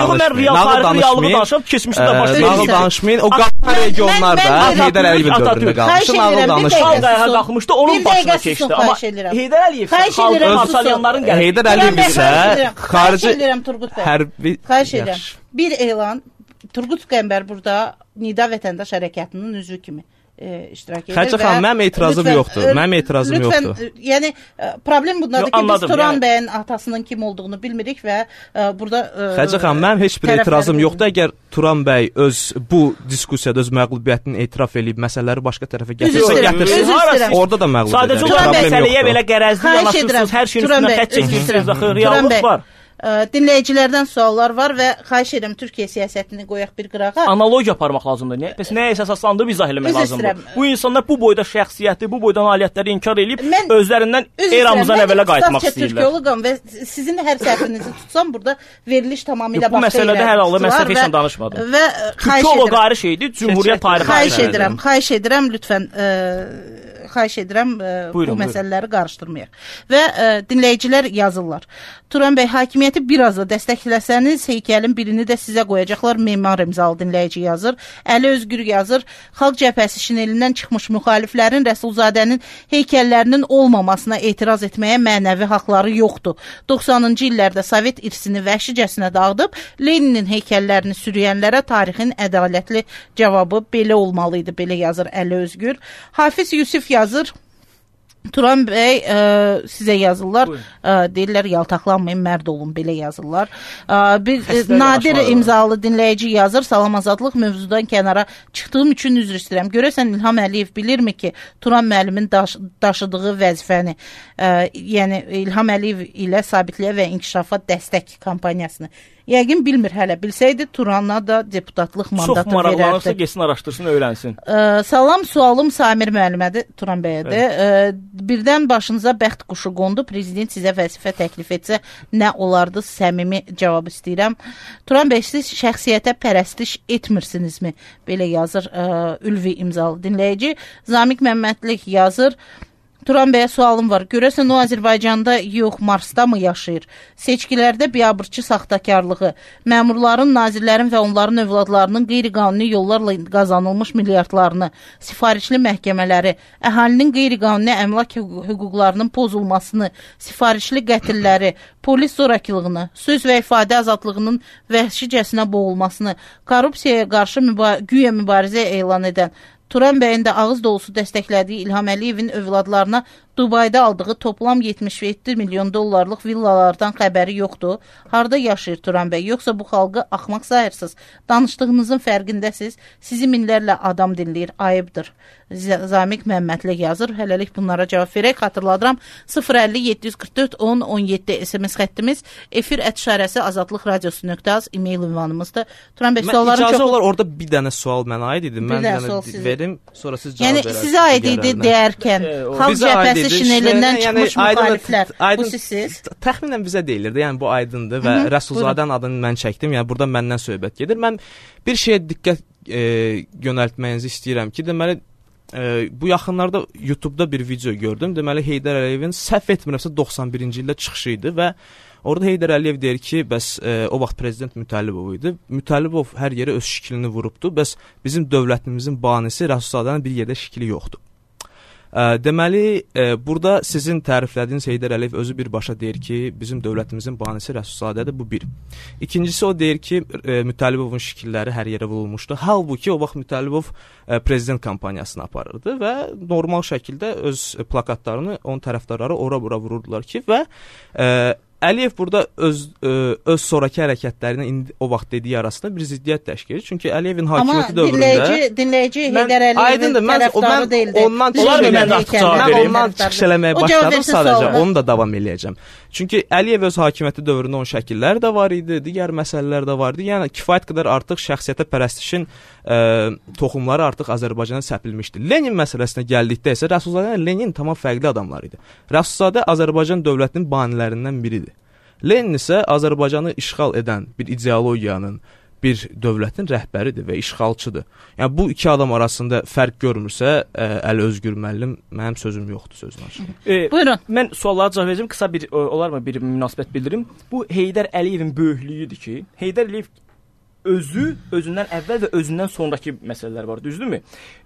danışmayın. Keçmişdə də başlayır. Nağıl danışmayın. O qalxan regionlarda Heydər Əliyevin dövründə qalmışdı. Nağıl danışmayın. Ayağa qalxmışdı, onun başına keçdi. Amma Heydər Əliyev xalq parçalayanların gəldi. Heydər Əliyev isə xarici hərbi xahiş edirəm. Bir elan Turgut Qəmbər burada Nida Vətəndaş Hərəkatının üzvü kimi iştirak edir. Xərcə xanım, mənim etirazım yoxdur. Mənim etirazım yoxdur. Yəni problem bundadır ki, biz Turan bəyin atasının kim olduğunu bilmirik və burada Xərcə xanım, mənim heç bir etirazım yoxdur. Əgər Turan bəy öz bu diskusiyada öz məğlubiyyətini etiraf edib məsələləri başqa tərəfə gətirsin. Orada da məğlub edər. Sadəcə o məsələyə belə qərəzli yanaşırsınız, hər şeyin üstünə xətt çəkirsiniz, axı reallıq var. Dinləyicilərdən suallar var və xahiş edirəm Türkiyə siyasətini qoyaq bir qırağa. Analogiya aparmaq lazımdır. Bəs nəyə əsaslandırıb izah eləmək lazımdır? Bu insanlar bu boyda şəxsiyyəti, bu boyda nailiyyətləri inkar edib özlərindən eramızdan əvvələ qayıtmaq istəyirlər. Türkiyologam və sizin hər səhvinizi tutsam burada veriliş tamamilə başqa. Bu məsələdə hər halda mən səhv heç danışmadım. Və Türkiyoloq ayrı şeydir, Cümhuriyyət tarixi. Xahiş edirəm lütfən xahiş edirəm bu məsələləri qarışdırmayaq. Və dinləyicilər yazırlar. Turan bəy, hakimiyyəti biraz da dəstəkləsəniz, heykəlin birini də sizə qoyacaqlar. Memar imzalı dinləyici yazır. Əli Özgür yazır. Xalq Cəbhəsi şinelindən çıxmış müxaliflərin Rəsulzadənin heykəllərinin olmamasına etiraz etməyə mənəvi haqları yoxdur. 90-cı illərdə Sovet irsini vəhşicəsinə dağıdıb, Leninin heykəllərini sürüyənlərə tarixin ədalətli cavabı belə olmalı idi, belə yazır Əli Özgür. Hafiz Yusuf yazır. Turan bəy sizə yazırlar. Deyirlər yaltaqlanmayın, mərd olun, belə yazırlar. Bir Nadir imzalı dinləyici yazır. Salam Azadlıq, mövzudan kənara çıxdığım üçün üzr istəyirəm. Görəsən İlham Əliyev bilirmi ki, Turan müəllimin daşıdığı vəzifəni, yəni İlham Əliyev ilə sabitliyə və inkişafa dəstək kampaniyasını yəqin bilmir hələ. Bilsəydi Turana da deputatlıq mandatı verərdi. Çox maraqlanırsa getsin, araşdırsın, öyrənsin. Salam, sualım Samir müəllimədir, Turan bəyədir. Birdən başınıza bəxt quşu qondu, prezident sizə vəzifə təklif etsə nə olardı? Səmimi cavab istəyirəm. Turan bəy, siz şəxsiyyətə pərəstiş etmirsinizmi? Belə yazır Ülvi imzalı dinləyici. Zamiq Məmmədlik yazır. Turan bəyə sualım var. Görəsən o Azərbaycanda yox, Marsda mı yaşayır? Seçkilərdə biabırçı saxtakarlığı, məmurların, nazirlərin və onların övladlarının qeyri-qanuni yollarla qazanılmış milyardlarını, sifarişli məhkəmələri, əhalinin qeyri-qanuni əmlak hüquqlarının pozulmasını, sifarişli qətilləri, polis zorakılığını, söz və ifadə azadlığının vəhşicəsinə boğulmasını, korrupsiyaya qarşı güya mübarizə elan edən Turan bəyin də ağız dolusu dəstəklədiyi İlham Əliyevin övladlarına Dubayda aldığı toplam 77 milyon dollarlıq villalardan xəbəri yoxdur. Harada yaşayır Turan bəy? Yoxsa bu xalqı axmaq sayırsınız? Danışdığınızın fərqindəsiz. Sizi minlərlə adam dinləyir. Ayıbdır. Zamiq Məmmədli yazır. Hələlik bunlara cavab verək. Xatırladıram. 050-744-10-17 SMS xəttimiz. Efir @şarəsi azadlıq radiosu.az e-mail ünvanımızdır. Turan bəy, sualların çox... İcazə olar, orada bir dənə sual mənə aid idi. Mən dənə verim, sonra siz cavab verərsiniz. Yəni, sizə aid idi deyərkən, Xalq Cəbhəsi şinelindən çıxmış müxaliflər, bu sizsiz? Təxminən bizə deyilirdi, yəni bu aydındır və Rəsulzadənin adını mən çəkdim, yəni burada məndən söhbət gedir. Mən bir şeyə diqqət yönəltməyinizi istəyirəm ki, deməli, bu yaxınlarda YouTube-da bir video gördüm. Deməli, Heydər Əliyevin səhv etmirəmsə 91-ci ildə çıxışı idi və orada Heydər Əliyev deyir ki, bəs o vaxt prezident Mütəllibov idi. Mütəllibov hər yerə öz şiklini vurubdu. Bəs bizim dövlətimizin banisi Rəsulzadənin bir yerdə şikli yoxdur. Deməli, burada sizin təriflədiyiniz Heydər Əliyev özü birbaşa deyir ki, bizim dövlətimizin banisi Rəsulzadədir, bu bir. İkincisi, o deyir ki, Mütəllibovun şikilləri hər yerə vurulmuşdu. Halbuki o vaxt Mütəllibov prezident kampaniyasını aparırdı və normal şəkildə öz plakatlarını onun tərəfdarları ora-bura vururdular ki, və Əliyev burada öz sonrakı hərəkətlərinə indi o vaxt dediyi arasında bir ziddiyyət təşkil edir. Çünki Əliyevin hakimiyyəti dövründə dinləyici Heydər Əliyevin tərəfdarı deyildi. Ondan çıxış eləməyə başladım sadəcə. Onu da davam eləyəcəm. Çünki Əliyev öz hakimiyyəti dövründə onun şəkilləri də var idi, digər məsələlər də var idi. Yəni kifayət qədər artıq şəxsiyyətə pərəstişin toxumları artıq Azərbaycana səpilmişdi. Lenin məsələsinə gəldikdə isə Rəsulzadə ilə Lenin tamam fərqli adamlar idi. Rəsulzadə Azərbaycan dövlətinin banilərindən biridir. Lenin isə Azərbaycanı işğal edən bir ideologiyanın, bir dövlətin rəhbəridir və işğalçıdır. Yəni bu iki adam arasında fərq görmürsə, Əli Özgür müəllim, mənim sözüm yoxdur sözünə açıq. Buyurun. Mən suallara cavab verəcəm, qısa bir olarmı bir münasibət bildirim. Bu Heydər Əliyevin böyüklüyüdür ki, Heydər Əliyev özündən əvvəl və özündən sonrakı məsələlər var, düzdürmü?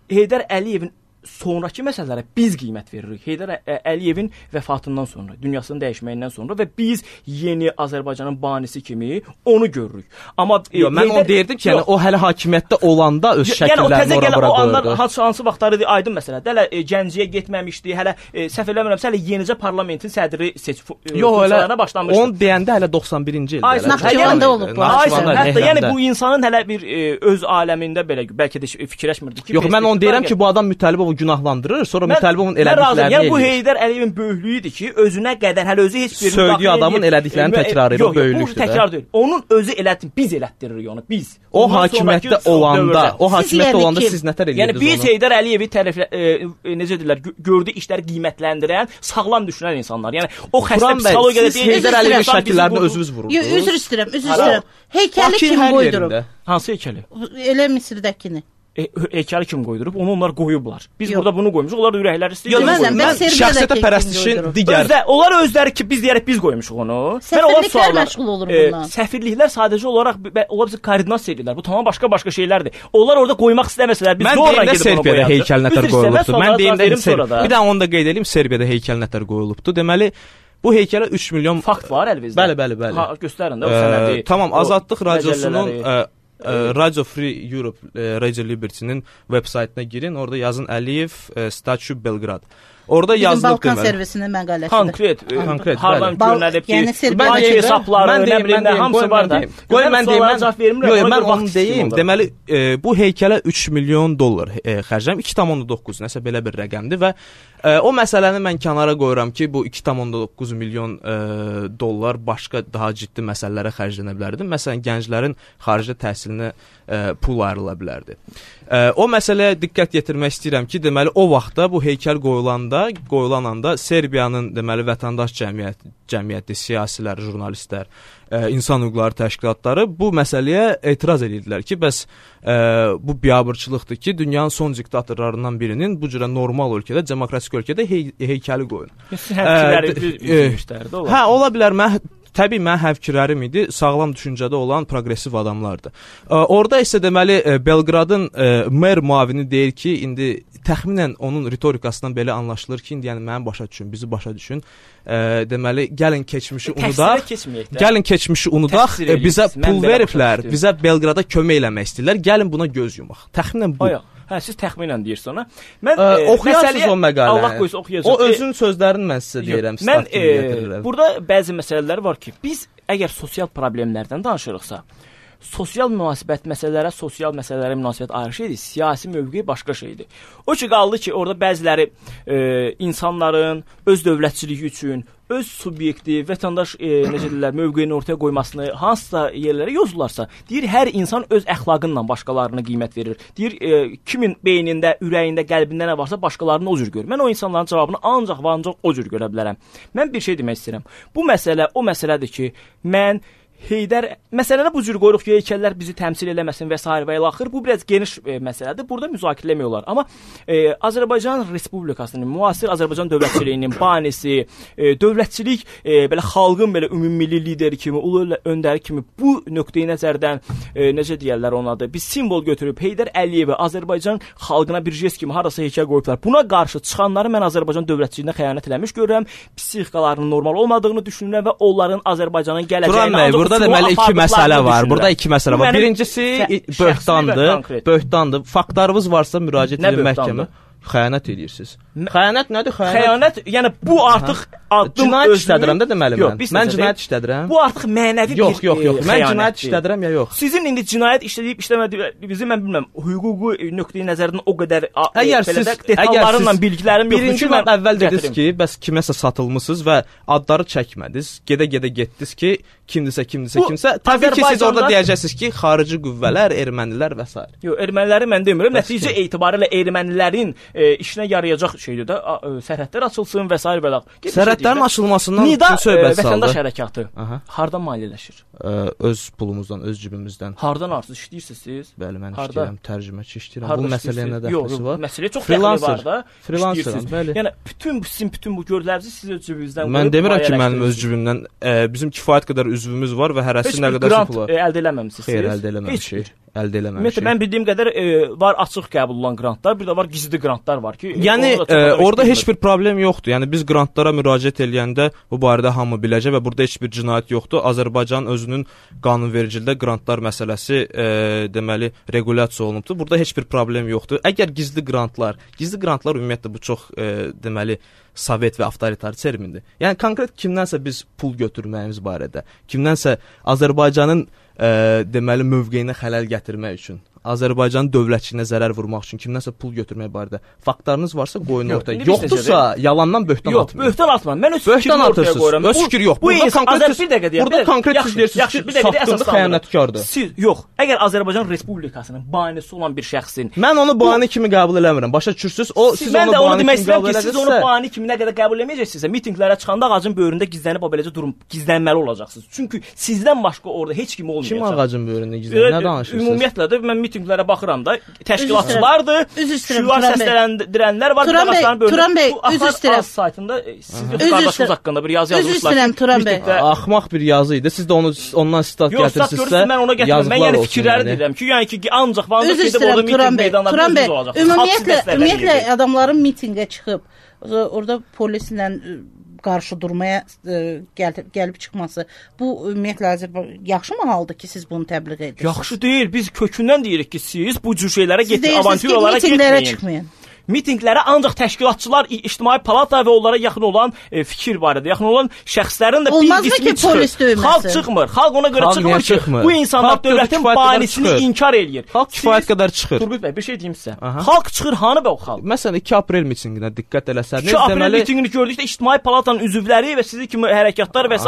Heydər Əliyevin sonrakı məsələlərə biz qiymət veririk. Heydər Əliyevin vəfatından sonra, dünyasının dəyişməyindən sonra və biz yeni Azərbaycanın banisi kimi onu görürük. Amma mən onu deyirdim ki, yəni o hələ hakimiyyətdə olanda öz şəkillərini ora-bura qoyurdu. O hansı vaxtları aydın məsələdir. Hələ Gəncəyə getməmişdi, hələ səhv eləmirəmsə hələ yenicə parlamentin sədri funksiyalarına başlamışdı. Onu deyəndə hələ 91-ci ildə. Naxçıvanda olub bu. Hətta yəni bu insanın hələ bir öz aləmində belə bəlkə də fikirləşmirdi ki. Yox, mən onu deyirəm ki, bu adam Mütəllibov günahlandırır, sonra Mütəllibovun elədiklərini eləyir. Yəni bu Heydər Əliyevin böyüklüyüdür ki, özünə qədər hələ özü heç bir söylediyi adamın elədiklərini təkrar edir, o böyüklükdür. Yox, bu təkrar deyil. Onun özü elətdir, biz elətdiririk onu, biz. O hakimiyyətdə olanda, siz nətər edirsiniz? Yəni biz Heydər Əliyevi necə deyirlər, gördüyü işləri qiymətləndirən, sağlam düşünən insanlar. Yəni o xəstə psixologiyada deyil. Heydər Əliyevin şəkillərini özünüz vururdunuz. Yox, üzr istəyirəm. Heykəli kim qoydurub? Hansı heykəli? Elə Misirdəkini. Heykəli kim qoydurub? Onu onlar qoyublar. Biz burada bunu qoymuşuq. Onlar ürəkləri istəyir. Mən şəxsiyyətə pərəstişin digər. Onlar özləri ki, biz deyərək biz qoymuşuq onu. Səfirliklər məşğul olur bundan. Səfirliklər sadəcə olaraq onlar bizi koordinasiya edirlər. Bu tamam başqa şeylərdir. Onlar orada qoymaq istəməsələr, biz zorla gedib onu qoyarıq. Mən deyim də Serbiyada heykəl nətər qoyulubdu. Mən deyim də bir daha onu da qeyd edeyim, Serbiyada heykəl nətər qoyulubdu. Deməli, bu heykələ 3 milyon fakt var əlinizdə. Bəli. Ha, göstərin də o sənədi. Tamam, Azadlıq radiosunun Radio Free Europe, Radio Liberty-nin veb-saytına girin, orada yazın Əliyev Statue Belgrad. Orada yazılıb Balkan servisinin məqaləsi. Konkret. Hardan görünəlib ki, bank hesabları, nə bilim nə hamısı var da. Qoy mən deyim. Yox, mən onu deyim. Deməli, bu heykələ 3 milyon dollar xərcləm, 2,9 nəsə belə bir rəqəmdir və o məsələni mən kənara qoyuram ki, bu 2,9 milyon dollar başqa daha ciddi məsələlərə xərclənə bilərdi. Məsələn, gənclərin xarici təhsilinə pul ayrıla bilərdi. O məsələyə diqqət yetirmək istəyirəm ki, deməli o vaxtda bu heykəl qoyulan anda Serbiyanın deməli vətəndaş cəmiyyəti, siyasilər, jurnalistlər, insan hüquqları təşkilatları bu məsələyə etiraz edirdilər ki, bəs bu biabırçılıqdır ki, dünyanın son diktatorlarından birinin bu cürə normal ölkədə, demokratik ölkədə heykəli qoyun. Hə, ola bilər. Təbii mən həvfikirlərim idi, sağlam düşüncədə olan progressiv adamlardır. Orada isə deməli Belqradın mer müavini deyir ki, indi təxminən onun ritorikasından belə anlaşılır ki, indi yəni mənim başa düşün, bizi başa düşün. Deməli gəlin keçmişi unudaq, bizə pul veriblər, bizə Belqrada kömək eləmək istəyirlər, gəlin buna göz yumaq. Təxminən bu. Hə, siz təxminən deyirsən ona. Mən oxuyarsınız o məqaləni. Allah qoysa oxuyacağam. O özünün sözlərini mən sizə deyirəm. Mən burada bəzi məsələlər var ki, biz əgər sosial problemlərdən danışırıqsa, sosial məsələlərə münasibət ayrı şeydir, siyasi mövqe başqa şeydir. O ki qaldı ki, orada bəziləri insanların öz dövlətçiliyi üçün, öz subyektiv, vətəndaş necə deyirlər, mövqeyini ortaya qoymasını hansısa yerlərə yozurlarsa, deyir hər insan öz əxlaqınla başqalarına qiymət verir. Deyir kimin beynində, ürəyində, qəlbində nə varsa başqalarını o cür görür. Mən o insanların cavabını ancaq və ancaq o cür görə bilərəm. Mən bir şey demək istəyirəm. Bu məsələ o məsələdir ki, mən məsələni bu cür qoyuruq ki, heykəllər bizi təmsil eləməsin və s. və ilaxır. Bu biraz geniş məsələdir. Burada müzakirə eləmək olar. Amma Azərbaycan Respublikasının, müasir Azərbaycan dövlətçiliyinin banisi, dövlətçilik belə xalqın belə ümumilli lideri kimi, ulu öndəri kimi bu nöqteyi nəzərdən necə deyirlər onun adı? Bir simvol götürüb Heydər Əliyevi Azərbaycan xalqına bir jest kimi harasa heykəl qoyublar. Buna qarşı çıxanları mən Azərbaycan dövlətçiliyinə xəyanət eləmiş görürəm. Psixikalarının normal olmadığını düşünürəm və onların Azərbaycanın gələcəyini deməli iki məsələ var. Burada iki məsələ var. Birincisi böhtandır. Faktlarınız varsa müraciət edin məhkəmə. Xəyanət edirsiniz. Xəyanət nədir? Xəyanət, yəni bu artıq addım cinayət işlədirəm də deməli mən. Mən cinayət işlədirəm. Bu artıq mənəvi yox, mən cinayət işlədirəm ya yox. Sizin indi cinayət işlədib işləmədiyinizi mən bilmirəm. Hüquqi nöqteyi nəzərdən o qədər detallarla bilgilərim yoxdur. Birinci mən əvvəl dediniz ki, bəs kiməsə satılmısınız və adları çəkmədiniz. Gedə-gedə getdiniz ki, kimdirsə. Təbii ki, siz orada deyəcəksiniz ki, xarici qüvvələr, ermənilər və s. Yox, erməniləri mən demirəm. Nəticə etibarilə ermənilərin işinə yarayacaq şeydir də, sərhədlər açılsın və s. və s. Sərhədlərin açılmasından bütün söhbət saldı. Vətəndaş hərəkatı hardan maliyyələşir? Öz pulumuzdan, öz cibimizdən. Hardan artıq işləyirsiniz siz? Bəli, mən işləyirəm, tərcüməçi işləyirəm. Bu məsələyə nə dəxli var? Məsələyə çox dəxli var da. Freelanceram, bəli. Yəni bütün bu görülərinizi siz öz cibinizdən qoyub. Mən demirəm ki, mənim öz cibimdən bizim kifayət qədər üzvümüz var və hərəsi nə qədər pul var. Əldə eləməmisiniz. Xeyr, əldə eləməmişik. Ümumiyyətlə mən bildiyim qədər var açıq qəbul olunan qrantlar, bir də var gizli qrantlar var ki, yəni orada heç bir problem yoxdur. Yəni biz qrantlara müraciət eləyəndə bu barədə hamı biləcək və burada heç bir cinayət yoxdur. Azərbaycan özünün qanunvericiliyində qrantlar məsələsi deməli regulyasiya olunubdur. Burada heç bir problem yoxdur. Əgər gizli qrantlar ümumiyyətlə bu çox deməli sovet və avtoritar termindir. Yəni konkret kimdənsə biz pul götürməyimiz barədə, kimdənsə Azərbaycanın deməli mövqeyinə xələl gətirmək üçün, Azərbaycanın dövlətçiliyinə zərər vurmaq üçün kimdənsə pul götürmək barədə faktlarınız varsa qoyun ortaya. Yoxdursa yalandan böhtan atmayın. Yox, böhtan atma. Mən öz fikrimi ortaya qoyuram. Öz fikir yox. Bu insan bir dəqiqə deyək. Burada konkret siz deyirsiniz ki, satqındır, xəyanətkardır. Siz yox. Əgər Azərbaycan Respublikasının banisi olan bir şəxsin, mən onu bani kimi qəbul eləmirəm. Başa düşürsüz? O siz onu bani kimi qəbul eləsəz, siz onu bani kimi nə qədər qəbul eləməyəcəksiniz. Mitinqlərə çıxanda ağacın böyründə gizlənib o beləcə durub gizlənməli olacaqsınız. Çünki sizdən başqa orada heç kim olmayacaq. Kim ağacın böyründə gizlənir? Nə danışırsınız? Ümumiyyətlə də mən mitinqlərə baxıram da, təşkilatçılardır, şüar səsləndirənlər var. Turan bəy, üzr istəyirəm. Saytında siz qardaşınız haqqında bir yazı yazmışlar. Üzr istəyirəm Turan bəy. Axmaq bir yazı idi. Siz də onu ondan sitat gətirsinizsə, mən ona gətirəm. Mən yəni fikirləri deyirəm ki, yəni ki, ancaq vaxtda gedib orada miting meydanlarında olacaq. Ümumiyyətlə adamların mitinqə çıxıb orada polislə qarşı durmaya gəlib çıxması, bu ümumiyyətlə yaxşı mı haldır ki, siz bunu təbliğ edirsiniz? Yaxşı deyil. Biz kökündən deyirik ki, siz bu cür şeylərə getməyin, avantüralara getməyin. Mitinqlərə ancaq təşkilatçılar, ictimai palata və onlara yaxın olan fikir barədə, yaxın olan şəxslərin də bir qismi çıxır. Xalq çıxmır. Xalq ona görə çıxmır ki, bu insanlar dövlətin banisini inkar eləyir. Xalq kifayət qədər çıxır. Turgut bəy, bir şey deyim sizə. Xalq çıxır, hanı bə o xalq? Məsələn, 2 aprel mitinqinə diqqət eləsəniz, 2 aprel mitinqini gördükdə ictimai palatanın üzvləri və sizin kimi hərəkatlar və s.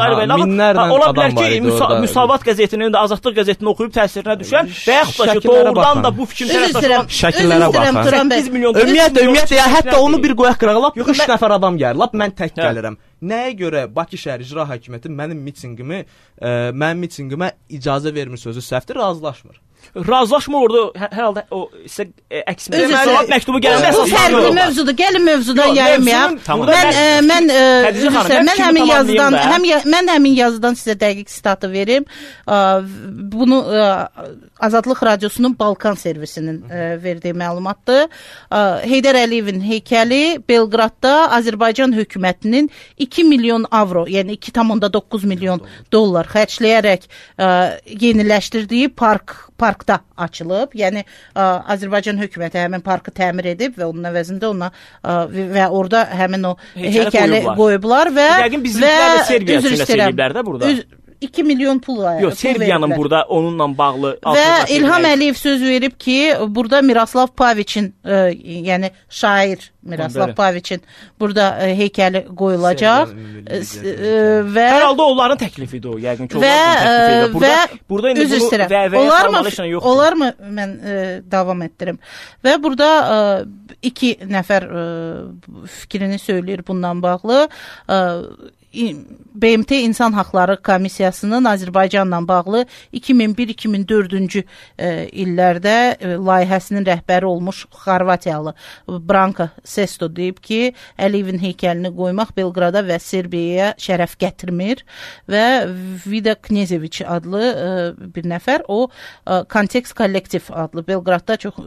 ola bilər ki, Müsavat qəzetinin də Azadlıq qəzetini oxuyub təsirinə düşən və yaxud da ki, doğrudan da bu fikrin tərəfdaşı şəkillərə baxın. 8 milyon Ümumiyyətlə, hətta onu bir qoyaq qırağa, lap 3 nəfər adam gəlir, lap mən tək gəlirəm. Nəyə görə Bakı şəhər icra hakimiyyəti mənim mitinqimə icazə vermir sözü səhvdir, razılaşmır. Razılaşmır orada hər halda o sizə əks məktubu gələn bu fərqli mövzudur. Gəlin mövzudan yayılmayaq. Mən həmin yazıdan sizə dəqiq sitatı verim. Bunu Azadlıq Radiosunun Balkan servisinin verdiyi məlumatdır. Heydər Əliyevin heykəli Belqradda Azərbaycan hökumətinin 2 milyon avro, yəni 2,9 milyon dollar xərcləyərək yeniləşdirdiyi parkda açılıb. Yəni Azərbaycan hökuməti həmin parkı təmir edib və onun əvəzində ona və orada həmin o heykəli qoyublar və yəqin bizimkilər də Serbiya üçün eləyiblər də burada. 2 milyon pul var. Yox, Serbiyanın burada onunla bağlı və İlham Əliyev söz verib ki, burada Miroslav Paviçin, yəni şair Miroslav Paviçin burada heykəli qoyulacaq və hər halda onların təklifidir o, yəqin ki, onların təklifidir. Burada indi bunu olarmı mən davam etdirim. Və burada 2 nəfər fikrini söyləyir bundan bağlı. BMT İnsan Haqları Komissiyasının Azərbaycanla bağlı 2001-2004-cü illərdə layihəsinin rəhbəri olmuş Xorvatiyalı Branka Sesto deyib ki, Əliyevin heykəlini qoymaq Belqrada və Serbiyaya şərəf gətirmir və Vida Knezeviç adlı bir nəfər, o Kontekst Kollektiv adlı Belqradda çox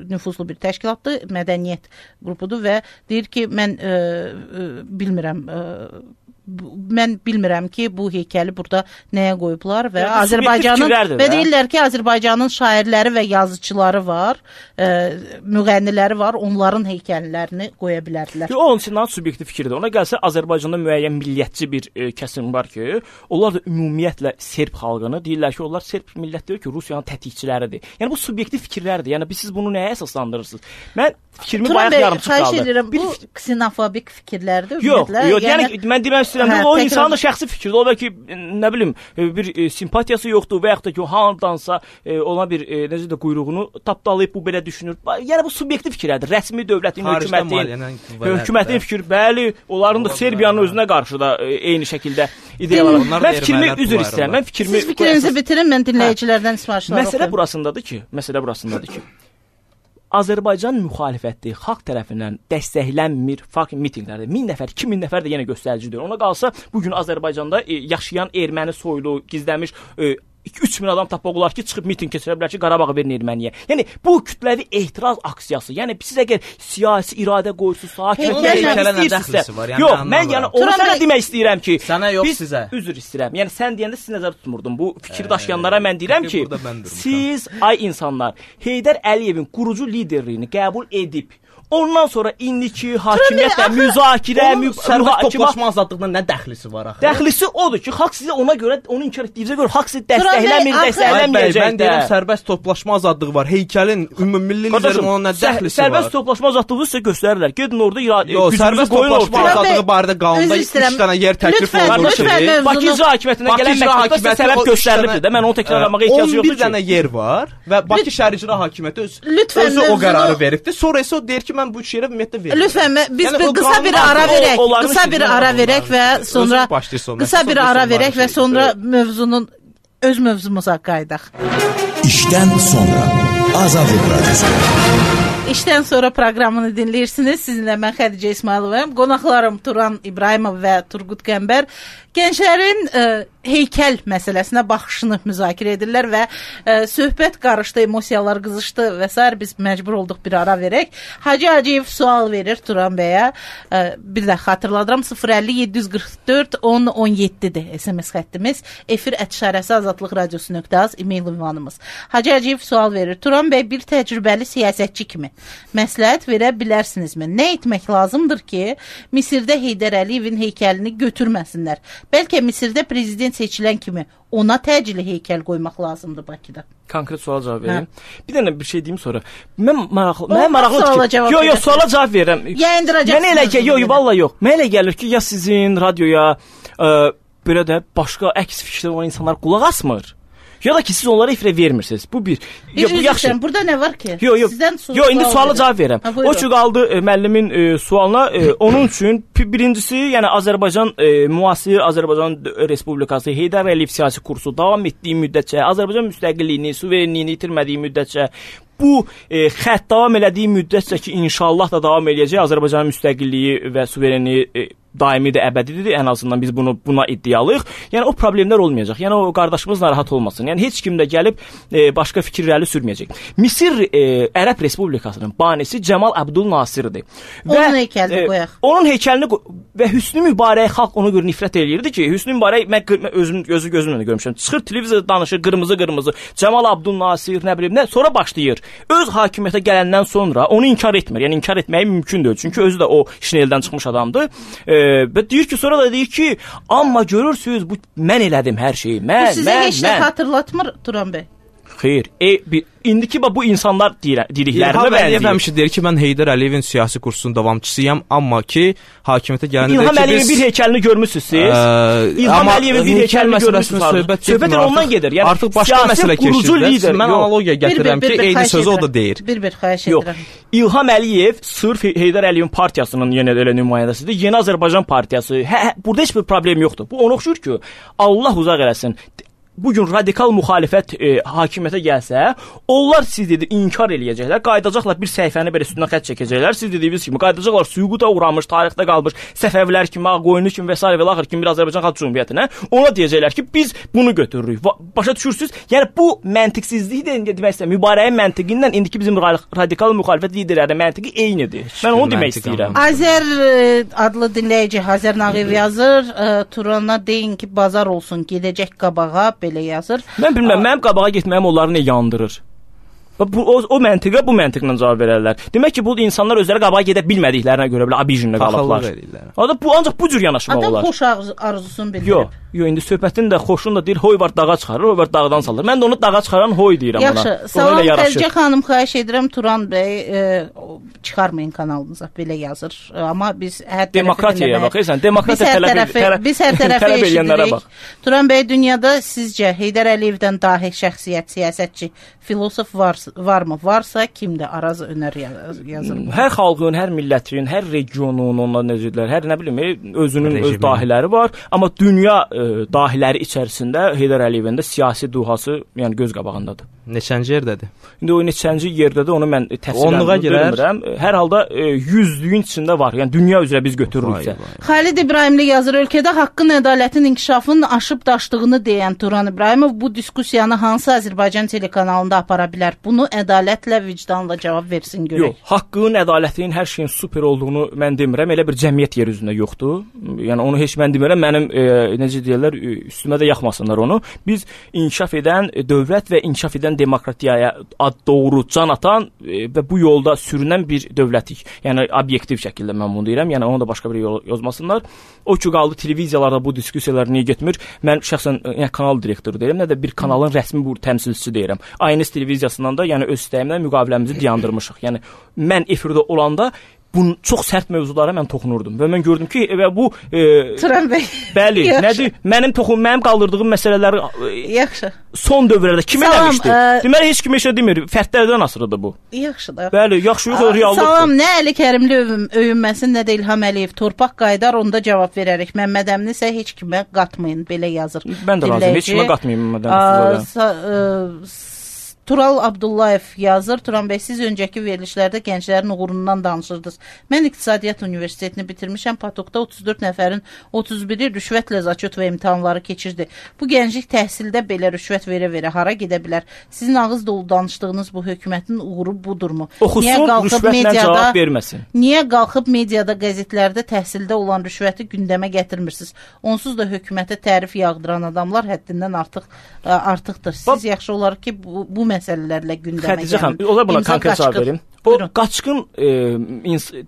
nüfuzlu bir təşkilatdır, mədəniyyət qrupudur və deyir ki, mən bilmirəm, mən bilmirəm ki, bu heykəli burada nəyə qoyublar və Azərbaycanın və deyirlər ki, Azərbaycanın şairləri və yazıçıları var, müğənniləri var, onların heykəllərini qoya bilərdilər. Onun üçün subyektiv fikirdir. Ona gəlsə Azərbaycanda müəyyən milliyyətçi bir kəsim var ki, onlar da ümumiyyətlə Serb xalqını deyirlər ki, onlar Serb millət deyir ki, Rusiyanın tətikçiləridir. Yəni bu subyektiv fikirlərdir. Yəni siz bunu nəyə əsaslandırırsınız? Mən fikrimi bayaq yarımçıq qaldı. Xahiş edirəm, bu ksenofobik fikirlərdir ümumiyyətlə. Yox, yəni mən demək istəyirəm ki, o insanın da şəxsi fikridir. O bəlkə nə bilim, bir simpatiyası yoxdur və yaxud da ki, o hardansa ona bir necə də quyruğunu tapdalayıb bu belə düşünür. Yəni bu subyektiv fikirlərdir. Rəsmi dövlətin, hökumətin fikri, bəli, onların da Serbiyanın özünə qarşı da eyni şəkildə ideyalar var. Mən fikrimi üzr istəyirəm. Siz fikrinizi bitirin, mən dinləyicilərdən sifarişlər oxuyum. Məsələ burasındadır ki, Azərbaycan müxalifəti xalq tərəfindən dəstəklənmir mitinqlərdə 1000 nəfər, 2000 nəfər də yenə göstəricidir. Ona qalsa bu gün Azərbaycanda yaşayan erməni soylu, gizlənmiş 3000 adam tapmaq olar ki, çıxıb miting keçirə bilər ki, Qarabağı verin erməniyə. Yəni bu kütləvi etiraz aksiyası. Yəni siz əgər siyasi iradə qoyursunuz, hakimiyyət yox, mən yəni onu sənə demək istəyirəm ki, sənə yox sizə. Üzr istəyirəm. Yəni sən deyəndə siz nəzərdə tutmurdum. Bu fikri daşıyanlara mən deyirəm ki, siz ay insanlar Heydər Əliyevin qurucu liderliyini qəbul edib ondan sonra indiki hakimiyyətlə müzakirə, sərbəst toplaşma azadlığına nə dəxlisi var axı? Dəxlisi odur ki, xalq sizə ona görə, onu inkar etdiyinizə görə xalq sizi dəstəkləməyəcək. Mən deyirəm, sərbəst toplaşma azadlığı var. Heykəlin ümummilli liderin ona nə dəxlisi var? Sərbəst toplaşma azadlığı sizə göstərirlər. Gedin orada sərbəst toplaşma azadlığı barədə qanunda 3 dənə yer təklif olunur ki, Bakı icra hakimiyyətinə gələn məktubda səbəb göstərilibdir də. Mən onu təkrarlamağa ehtiyac yoxdur ki. 11 dənə yer var və Bakı şəhər icra hakimiyyəti özü o qərarı veribdi. Sonra isə o deyir ki, mən bu üç yerə ümumiyyətlə verirəm. Lütfən biz qısa bir ara verək və sonra mövzunun öz mövzumuza qayıdaq. İşdən sonra Azadlıq Radiosu. İşdən sonra proqramını dinləyirsiniz. Sizinlə mən Xədicə İsmayılovayam. Qonaqlarım Turan İbrahimov və Turqut Qəmbər gənclərin heykəl məsələsinə baxışını müzakirə edirlər və söhbət qarışdı, emosiyalar qızışdı və s. Biz məcbur olduq bir ara verək. Hacı Hacıyev sual verir Turan bəyə. Bir də xatırladıram 050-744-10-17-dir SMS xəttimiz. efir@azadlıqradiosu.az e-mail ünvanımız. Hacı Hacıyev sual verir. Turan bəy bir təcrübəli siyasətçi kimi məsləhət verə bilərsinizmi? Nə etmək lazımdır ki, Misirdə Heydər Əliyevin heykəlini götürməsinlər? Bəlkə Misirdə prezident seçilən kimi ona təcili heykəl qoymaq lazımdır Bakıda. Konkret suala cavab vereyim. Bir dənə bir şey deyim sonra. Mən maraqlı yox, suala cavab verirəm. Yayındıracaqsınız. Mənə elə gəlir, yox, vallahi yox. Mənə elə gəlir ki, ya sizin radioya belə də başqa əks fikirdə olan insanlar qulaq asmır. Ya da ki siz onlara efirə vermirsiniz. Bu bir. Bu yaxşı. Burada nə var ki? Yox, indi suala cavab verirəm. O ki qaldı müəllimin sualına. Onun üçün birincisi, yəni Azərbaycan müasir Azərbaycan Respublikası Heydər Əliyev siyasi kursu davam etdiyi müddətcə, Azərbaycan müstəqilliyini, suverenliyini itirmədiyi müddətcə, bu xətt davam elədiyi müddətcə ki, inşallah da davam eləyəcək Azərbaycanın müstəqilliyi və suverenliyi daimidir, əbədidir. Ən azından biz buna iddialıyıq. Yəni o problemlər olmayacaq. Yəni o qardaşımız narahat olmasın. Yəni heç kim də gəlib başqa fikir irəli sürməyəcək. Misir Ərəb Respublikasının banisi Cəmal Abdul Nasirdir. Onun heykəlini qoyaq. Onun heykəlini və Hüsnü Mübarək xalq ona görə nifrət eləyirdi ki, Hüsnü Mübarək mən gözümlə görmüşəm. Çıxır televizorda danışır, qırmızı. Cəmal Abdul Nasir, nə bilim, sonra başlayır. Öz hakimiyyətə gələndən sonra onu inkar etmir. Yəni inkar etməyi mümkün deyil. Çünki özü də o işineldən çıxmış adamdır. Və deyir ki, sonra da deyir ki, amma görürsünüz, bu mən elədim hər şeyi. Bu sizə heç nə xatırlatmır Turan bəy? Xeyr. İndiki bu insanlar dediklərinə bənzəyir. Həmişə deyir ki, mən Heydər Əliyevin siyasi kursunun davamçısıyam, amma ki, hakimiyyətə gələndə İlham Əliyevin bir heykəlini görmüsünüz siz. İlham Əliyevin bir heykəlini görmüsünüz. Söhbət ondan gedir. Yəni artıq başqa məsələ keçir. Mən analogiya gətirirəm ki, eyni sözü o da deyir. Bir xahiş edirəm. İlham Əliyev sırf Heydər Əliyevin partiyasının yenə də elə nümayəndəsidir. Yeni Azərbaycan partiyası. Burada heç bir problem yoxdur. Bu ona oxşur ki, Allah uzaq eləsin. bu gün radikal müxalifət hakimiyyətə gəlsə, onlar siz dedi inkar eləyəcəklər, qayıdacaqlar bir səhifəni belə üstündən xətt çəkəcəklər. Siz dediyiniz kimi qayıdacaqlar süquta uğramış, tarixdə qalmış Səfəvilər kimi, Ağqoyunlu kimi və s. və axır kimi bir Azərbaycan Xalq Cümhuriyyətinə. Ona deyəcəklər ki, biz bunu götürürük. Başa düşürsüz? Yəni bu məntiqsizlikdir demək istəyirəm. Mübarizənin məntiqi ilə indiki bizim radikal müxalifət liderlərinin məntiqi eynidir. Mən onu demək istəyirəm. Azər adlı dinləyici Azər Nağıyev yazır, Turana deyin ki, bazar olsun, gedəcək qabağa, belə yazır. Mən bilməm, mənim qabağa getməyim onları nə yandırır? O məntiqə bu məntiqlə cavab verərlər. Demək ki, bu insanlar özləri qabağa gedə bilmədiklərinə görə belə abijinlə qalıblar. Ancaq bu cür yanaşmaq olar. Adam xoş arzusunu bildirir. Yox, indi söhbətin də xoşun da deyir, hoy var dağa çıxarır, hoy var dağdan salır. Mən də onu dağa çıxaran hoy deyirəm ona. Yaxşı, salam Xədicə xanım, xahiş edirəm Turan bəy çıxarmayın kanalınıza, belə yazır. Amma biz hər demokratiyaya baxırsan, demokratiya tələb edərik. Turan bəy, dünyada sizcə Heydər Əliyevdən dahi şəxsiyyət, siyasətçi, filosof varmı? Varsa kimdir? Araz Önər yazır. Hər xalqın, hər millətin, hər regionun onların özüdür. Hər nə bilim, özünün öz dahiləri var, amma dünya dahiləri içərisində Heydər Əliyevin də siyasi duhası, yəni göz qabağındadır. Neçənci yerdədir? İndi o neçənci yerdədir, onu mən təfsilən bilmirəm. Hər halda 100-lüyün içində var. Yəni dünya üzrə biz götürürüksə. Xalid İbrahimli yazır, ölkədə haqqın, ədalətin inkişafının aşıb daşdığını deyən Turan İbrahimov bu diskussiyanı hansı Azərbaycan telekanalında apara bilər? Bunu ədalətlə, vicdanla cavab versin görək. Yox, haqqın, ədalətin, hər şeyin super olduğunu mən demirəm. Elə bir cəmiyyət yer üzündə yoxdur. Yəni onu heç mən demirəm. Mənim necə deyirlər, üstümə də yaxmasınlar onu. Biz inkişaf edən dövlət və inkişaf edən demokratiyaya doğru can atan və bu yolda sürünən bir dövlətik. Yəni obyektiv şəkildə mən bunu deyirəm. Yəni onu da başqa bir yol yazmasınlar. O ki qaldı televiziyalarda bu diskussiyalar niyə getmir? Mən şəxsən kanal direktoru deyirəm, nə də bir kanalın rəsmi bu təmsilçisi deyirəm. Aynıs televiziyasından da yəni öz istəyimlə müqaviləmizi dayandırmışıq. Yəni mən efirdə olanda bunun çox sərt mövzulara mən toxunurdum və mən gördüm ki, və bu Turan bəy. Bəli, nədir? Mənim qaldırdığım məsələləri yaxşı. Son dövrlərdə kim eləmişdi? Deməli heç kim heç nə demir. Fərdlərdən asılıdır bu. Yaxşı da. Bəli, yaxşı yox, reallıqdır. Salam, nə Əli Kərimli öyünməsin, nə də İlham Əliyev torpaq qaydar, onda cavab verərik. Məmməd Əmini isə heç kimə qatmayın, belə yazır. Mən də razıyam, heç kimə qatmayın Məmməd Əmini. Tural Abdullayev yazır, Turan bəy, siz öncəki verilişlərdə gənclərin uğurundan danışırdınız. Mən İqtisadiyyat Universitetini bitirmişəm, Patokda 34 nəfərin 31-i rüşvətlə zaçot və imtahanları keçirdi. Bu gənclik təhsildə belə rüşvət verə-verə hara gedə bilər? Sizin ağız dolu danışdığınız bu hökumətin uğuru budurmu? Oxusun, rüşvətlə cavab verməsin. Niyə qalxıb mediada, qəzetlərdə təhsildə olan rüşvəti gündəmə gətirmirsiniz? Onsuz da hökumətə tərif yağdıran adamlar həddindən artıqdır. Siz yaxşı olar ki, bu məsələlərlə gündəmə gəlin. Xədicə xanım, olar buna konkret cavab verim. O qaçqın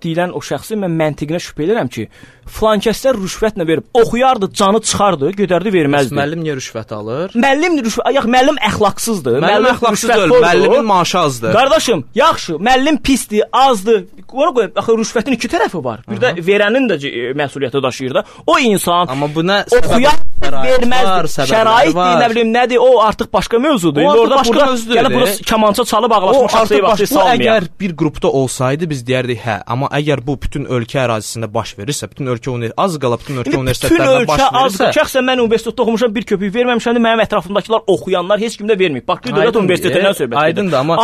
deyilən o şəxsi mən məntiqinə şübhə edirəm ki, filankəslər rüşvətlə verib, oxuyardı, canı çıxardı, gödərdi, verməzdi. Müəllim niyə rüşvət alır? Müəllim əxlaqsızdır. Müəllim əxlaqsız deyil, müəllimin maaşı azdır. Qardaşım, yaxşı, müəllim pisdir, azdır. Axı rüşvətin iki tərəfi var. Bir də verənin də məsuliyyəti daşıyır da. O insan oxuyar, verməz, şəraitdir, nə bilim, nədir, o artıq başqa mövzudur. O başqa mövzudur. Yəni burada kamança çalıb ağlaşmış şəxsiyə vaxtı salmayaq. Əgər bir qrupda olsaydı biz deyərdik hə, amma əgər bu bütün ölkə ərazisində baş verirsə, bütün ölkə az qala bütün ölkə universitetlərində baş verirsə, şəxsən mən universitetdə oxumuşam, bir köpük verməmişəm, mənim ətrafımdakılar oxuyanlar heç kimdə verməyib. Bax, bir dövlət universitetindən söhbət edir. Aydındır, amma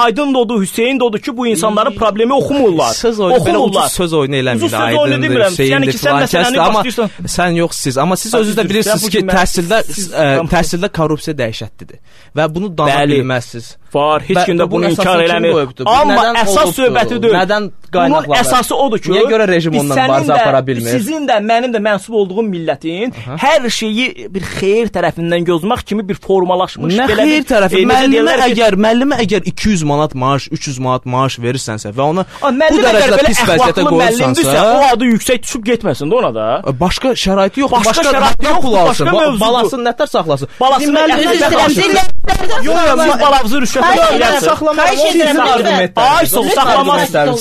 Aydın odur, Hüseyn də odur ki, bu insanların problemi oxumurlar. Oxumurlar. Söz oyunu eləmir. Aydındır, Hüseyndir, filankəsdir, amma sən yox siz. Amma siz özünüz də bilirsiniz ki, təhsildə korrupsiya dəhşətlidir və bunu dana bilməzsiniz. Var, heç kim də bunu inkar eləmir. Amma əsas söhbəti deyil. Nədən qaynaqlanır? Bunun əsası odur ki, niyə görə rejim ondan mübarizə apara bilmir? Sizin də, mənim də mənsub olduğum millətin hər şeyi bir xeyir tərəfindən gözləmək kimi bir formalaşmış belə bir... Nə xeyir tərəfi? Müəllimə əgər 200 manat maaş, 300 manat maaş verirsənsə və ona bu dərəcədə pis vəziyyətə qoyursansa, o adı yüksək düşüb getməsin də ona da. Başqa şəraiti yoxdur. Başqa şəraiti yoxdur. Balasını nətər saxlasın?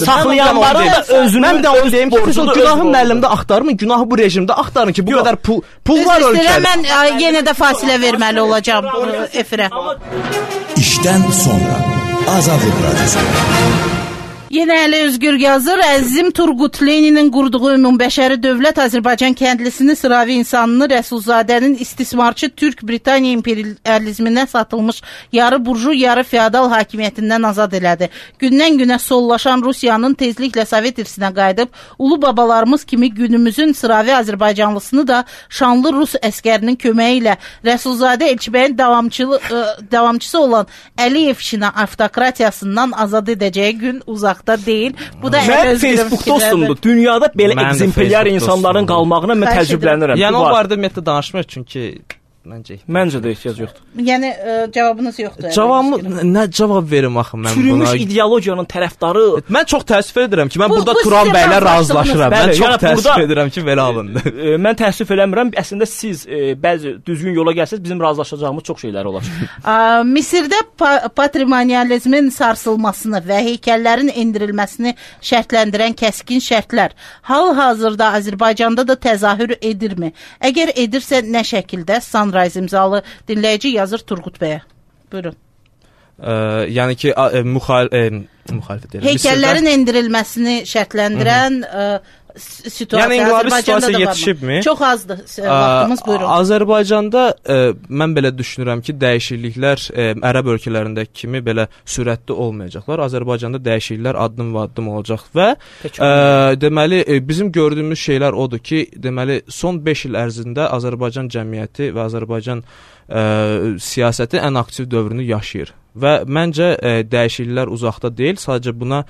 Saxlayanları da özünün də onu deyim ki, günahı müəllimdə axtarmın, günahı bu rejimdə axtarın ki, bu qədər pul var ölkədə. Mən yenə də fasilə verməli olacağam efirə. İşdən sonra Azadlıq Radiosu. Yenə Əli Özgür yazır. Əzizim Turqut Leninin qurduğu ümumbəşəri dövlət Azərbaycan kəndlisini, sıravi insanını Rəsulzadənin istismarçı Türk-Britaniya imperializminə satılmış yarı burju, yarı feodal hakimiyyətindən azad elədi. Gündən-günə sollaşan Rusiyanın tezliklə Sovet irsinə qayıdıb, ulu babalarımız kimi günümüzün sıravi Azərbaycanlısını da şanlı Rus əskərinin köməyi ilə Rəsulzadə Elçibəyin davamçısı olan Əliyev Şina avtokratiyasından azad edəcəyi gün uzaqda deyil. Bu da Facebookda olsundu. Dünyada belə ekzemplyar insanların qalmağına mən təəccüblənirəm. Yəni o barədə ümumiyyətlə danışmır çünki Məncə də ehtiyac yoxdur. Yəni cavabınız yoxdur. Cavabımı nə cavab verim axı mən buna? Çürümüş ideologiyanın tərəfdarı. Mən çox təəssüf edirəm ki, mən burada Turan bəylə razılaşıram. Mən çox təəssüf edirəm ki, belə alındı. Mən təəssüf eləmirəm. Əslində siz bəzi düzgün yola gəlsəz bizim razılaşacağımız çox şeylər olar. Misirdə patrimonializmin sarsılmasını və heykəllərin endirilməsini şərtləndirən kəskin şərtlər hal-hazırda Azərbaycanda da təzahür edirmi? Əgər edirsə nə şəkildə? Sunrise imzalı dinləyici yazır Turqut bəyə. Buyurun. Yəni ki, müxalifət edir. Heykəllərin endirilməsini şərtləndirən situasiya yəni, Azərbaycanda da yetişibmi? Çox azdır vaxtımız, buyurun. Azərbaycanda mən belə düşünürəm ki, dəyişikliklər ərəb ölkələrindəki kimi belə sürətli olmayacaqlar. Azərbaycanda dəyişikliklər addım-addım olacaq və deməli bizim gördüyümüz şeylər odur ki, deməli son 5 il ərzində Azərbaycan cəmiyyəti və Azərbaycan siyasəti ən aktiv dövrünü yaşayır. Və məncə dəyişikliklər uzaqda deyil, sadəcə buna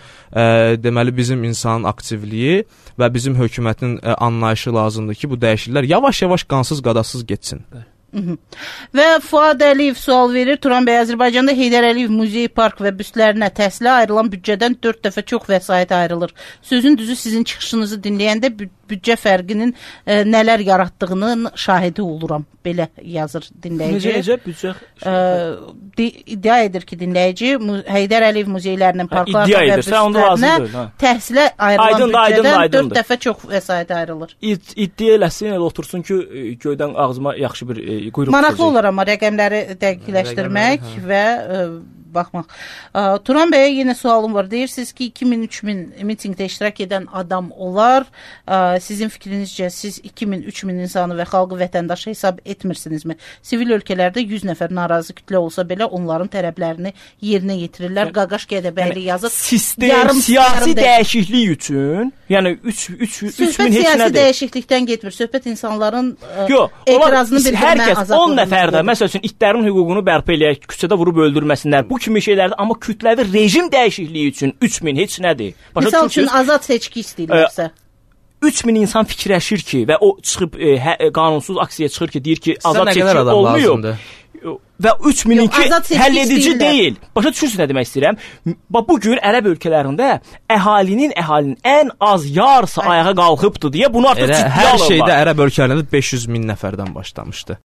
deməli bizim insanın aktivliyi və bizim hökumətin anlayışı lazımdır ki, bu dəyişikliklər yavaş-yavaş qansız qadasız getsin. Və Fuad Əliyev sual verir. Turan bəy, Azərbaycanda Heydər Əliyev Muzey Park və büstlərinə təhsilə ayrılan büdcədən 4 dəfə çox vəsait ayrılır. Sözün düzü sizin çıxışınızı dinləyəndə büdcə fərqinin nələr yaratdığının şahidi oluram. Belə yazır dinləyici. Necə büdcə? İddia edir ki, dinləyici Heydər Əliyev muzeylərinin parklarına və büstlərinə təhsilə ayrılan büdcədən 4 dəfə çox vəsait ayrılır. İddia eləsin, elə otursun ki, göydən ağzıma yaxşı bir maraqlı olar amma rəqəmləri dəqiqləşdirmək və baxmaq. Turan bəyə yenə sualım var. Deyirsiniz ki, 2000-3000 mitingdə iştirak edən adam olar. Sizin fikrinizcə siz 2000-3000 insanı və xalqı vətəndaşı hesab etmirsinizmi? Sivil ölkələrdə 100 nəfər narazı kütlə olsa belə onların tələblərini yerinə yetirirlər. Qaqaş Qədəbəyli yazır. Sistem siyasi dəyişiklik üçün, yəni 3000 heç nədir. Söhbət siyasi dəyişiklikdən getmir. Söhbət insanların etirazını bildirmə azadlığıdır. 10 nəfər də məsəl üçün itlərin hüququnu bərpa eləyək, küçədə vurub öldürməsinlər. Bu kimi şeylərdir, amma kütləvi rejim dəyişikliyi üçün 3000 heç nədir. Misal üçün azad seçki istəyirlərsə 3000 insan fikirləşir ki və o çıxıb qanunsuz aksiyaya çıxır ki, deyir ki, azad seçki olmuyor. Və 3000-inki həll edici deyil. Başa düşürsünüz nə demək istəyirəm? Bu gün ərəb ölkələrində əhalinin ən az yarısı ayağa qalxıbdı deyə bunu artıq ciddiyə alırlar. Hər şeydə ərəb ölkələrində 500 min nəfərdən başlamışdı.